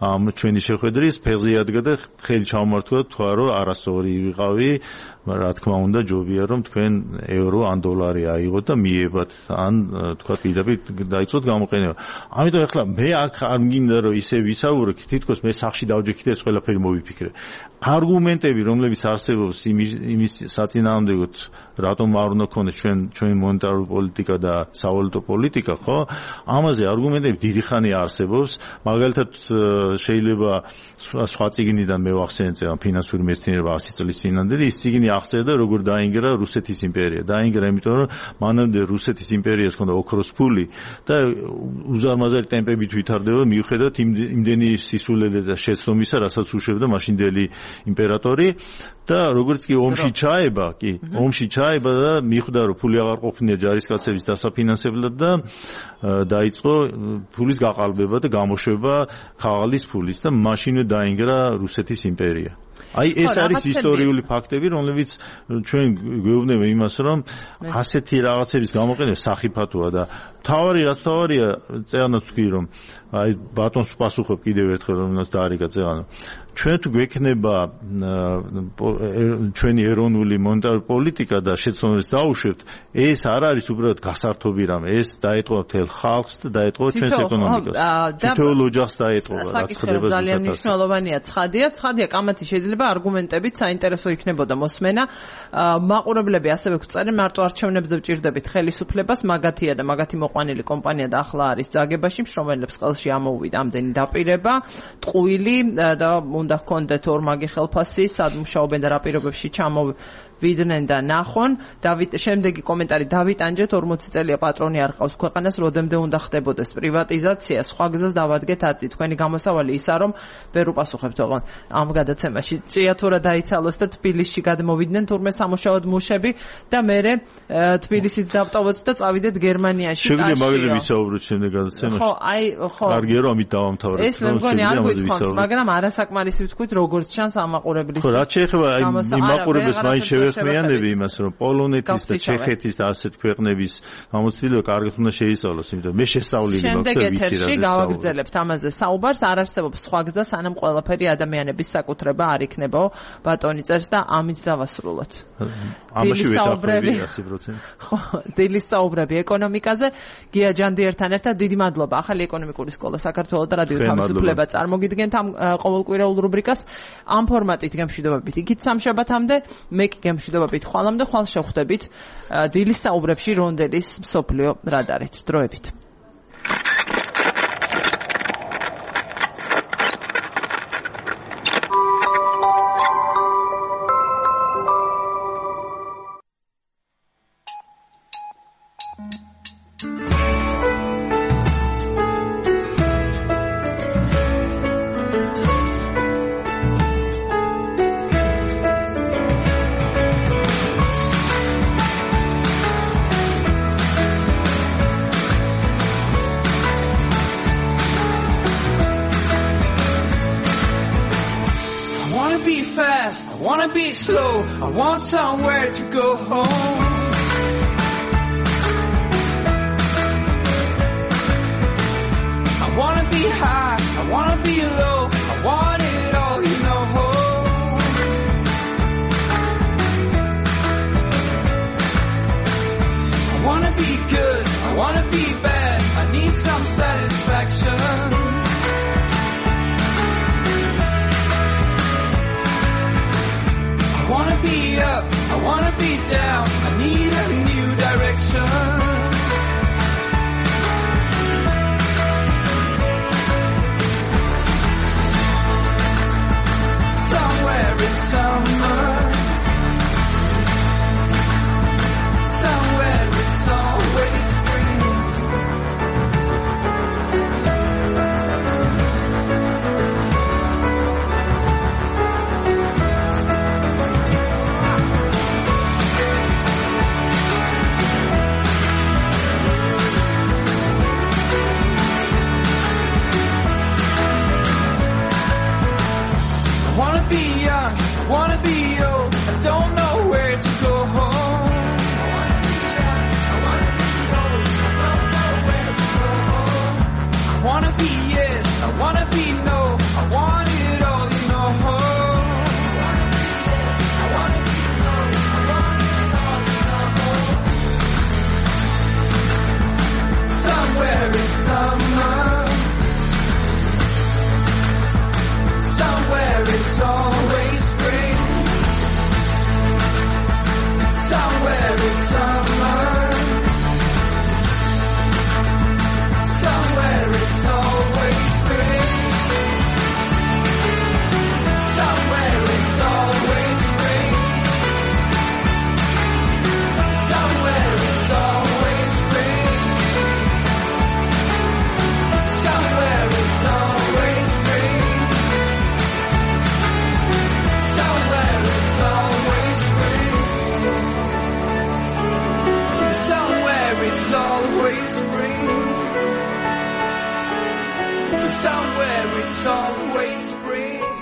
ამ ჩვენი შეხვედრის ფეხზე იადგა და ხელი ჩამართვა, თქვა, რომ არასწორი ვიყავი, რა თქმა უნდა, ჯობია რომ თქვენ ევრო ან დოლარი აიღოთ და მიებათ, ან თქვა პირდაპირ დაიწყოთ გამოყენება. ამიტომ ახლა მე აქ არ მგინდა, რომ ისე ვისაურო, თითქოს მე სახში დავჯექით ეს ყველაფერი მოვიფიქრე. არგუმენტები, რომლებიც არსებობს იმის საწინააღმდეგოდ, რატომ არ უნდა ქონდეს ჩვენი მონეტარული პოლიტიკა და სავალუტო პოლიტიკა, ხო? ამაზე არგუმენტები დიდი ხანი არსებობს. მაგალითად, შეიძლება სხვა წიგნიდან მე ვახსენე წეგან ფინანსური მეცნიერება 100 წლის წინამდე და ის წიგნი აღწერდა, როგორ დაინგრა რუსეთის იმპერია. დაინგრა იმიტომ, რომ მანამდე რუსეთის იმპერიას ჰქონდა ოქროს ფული და უზარმაზარი ტემპებით ვითარდება მიუხედავად იმდენი სისულელე და შეცდომისა, რასაც უშვებდა მაშინდელი იმპერატორი და როგორც კი ომში ჩაება და მიხვდა რომ ფული აღარ ყოფნია ჯარისკაცების დასაფინანსებლად და დაიწყო ფულის გაყალბება და გამოშვება ხაღალის ფულის და მაშინვე დაინგრა რუსეთის იმპერია. აი ეს არის ისტორიული ფაქტები, რომლებიც ჩვენ გვეუბნება იმას, რომ ასეთი რაღაცების გამოყენება სახიფათოა და თავარია წეღანაც თქვი რომ აი ბატონს პასუხობ კიდევ ერთხელ რომელსაც დაარიგა წეღანა. ჩვენ თუ გვექნება ჩვენი ეროვნული მონეტარული პოლიტიკა და შეცდომებს დაუშვებთ, ეს არ არის უბრალოდ გასართობი რამე, ეს დაეტყობა მთელ ხალხს და დაეტყობა ჩვენს ეკონომიკას. თითოეულ ოჯახს დაეტყობა, რაც ხდება ძალიან მნიშვნელოვანია. ცხადია, კამათი შეიძლება არგუმენტებით საინტერესო იქნებოდა მოსმენა. მაყურებლები ასევე გვწერენ, მარტო არჩევნებზე ვჭირდებით ხელისუფლებას, მაგათია და მაგათი მოყვანილი კომპანია და ახლა არის ძაგებაში, მშრომელებს ხელში ამოუვიდა ამდენი დაპირება, ტყუილი და უნდა ჰქონდეთ ორმაგი ხელფასი, სად მუშაობენ და რა პირობებში ჩამოვიდნენ და ნახონ. შემდეგი კომენტარი დავით ანჯეთ 40 წელია პატრონი არ ყავს ქვეყანას, როდემდე უნდა ხდებოდეს პრივატიზაცია, სხვა გზას დავადგეთ აწი. თქვენი გამოსავალი ისა რომ ვერ უპასუხებთ ოღონ ამ გადაცემაში. ჭიათურა დაიცალოს და თბილისში გადმოვიდნენ თურმე სამუშაოდ მუშები და მერე თბილისից დავტოვოთ და წავიდეთ გერმანიაში. შეგვიძლია მაგაზე ვისაუბროთ შემდეგ გადაცემაში. ხო. კარგია რომ ამით დავამთავრებთ. ეს მე მგონი არ გვითხოვს, მაგრამ არასაკმარისი ვთქვით როგორც ჩანს ამაყურებლის. ხო, რაც შეეხება იმაყურებელს მაინც შევეხმიანები იმას, რომ პოლონეთის და ჩეხეთის და ასეთ ქვეყნების გამოცდილება კარგად უნდა შეისწავლოს, იმიტომ მე შესწავლილი მაქვს და ვიცი რა. შემდეგ ეთერში გავაგრძელებთ ამაზე საუბარს. არ არსებობს სხვა გზა, სანამ ყველაფერი ადამიანების საკუთრება არ იქნება, ბატონი წერს და ამით დავასრულოთ. ამაში ვეთანხმები 100%. ხო, დილის საუბრები ეკონომიკაზე. გია ჯანდიერთან ერთად დიდი მადლობა. ახალი ეკონომიკური სკოლა საქართველოს და რადიო თავისუფლება წარმოგიდგენთ ამ ყოველკვირეულ რუბრიკას. ამ ფორმატით გემშვიდობებით იქით სამშაბათამდე, მე კი გემშვიდობებით ხვალამდე, ხვალ შევხვდებით დილის საუბრებში რონდელის მსოფლიო რადარით. დროებით. I want somewhere to go home. I wanna be high, I wanna be low, I want it all, you know. I wanna be good, I wanna be bad, I need some satisfaction. I wanna be up, I wanna be down, I need a new direction. Somewhere in summer, somewhere it's always spring. Be young, wanna be old, I don't know where to go home. I wanna be yes, I wanna be no, I want it all, you know. Somewhere in summer, somewhere it's always always spring.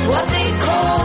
What they call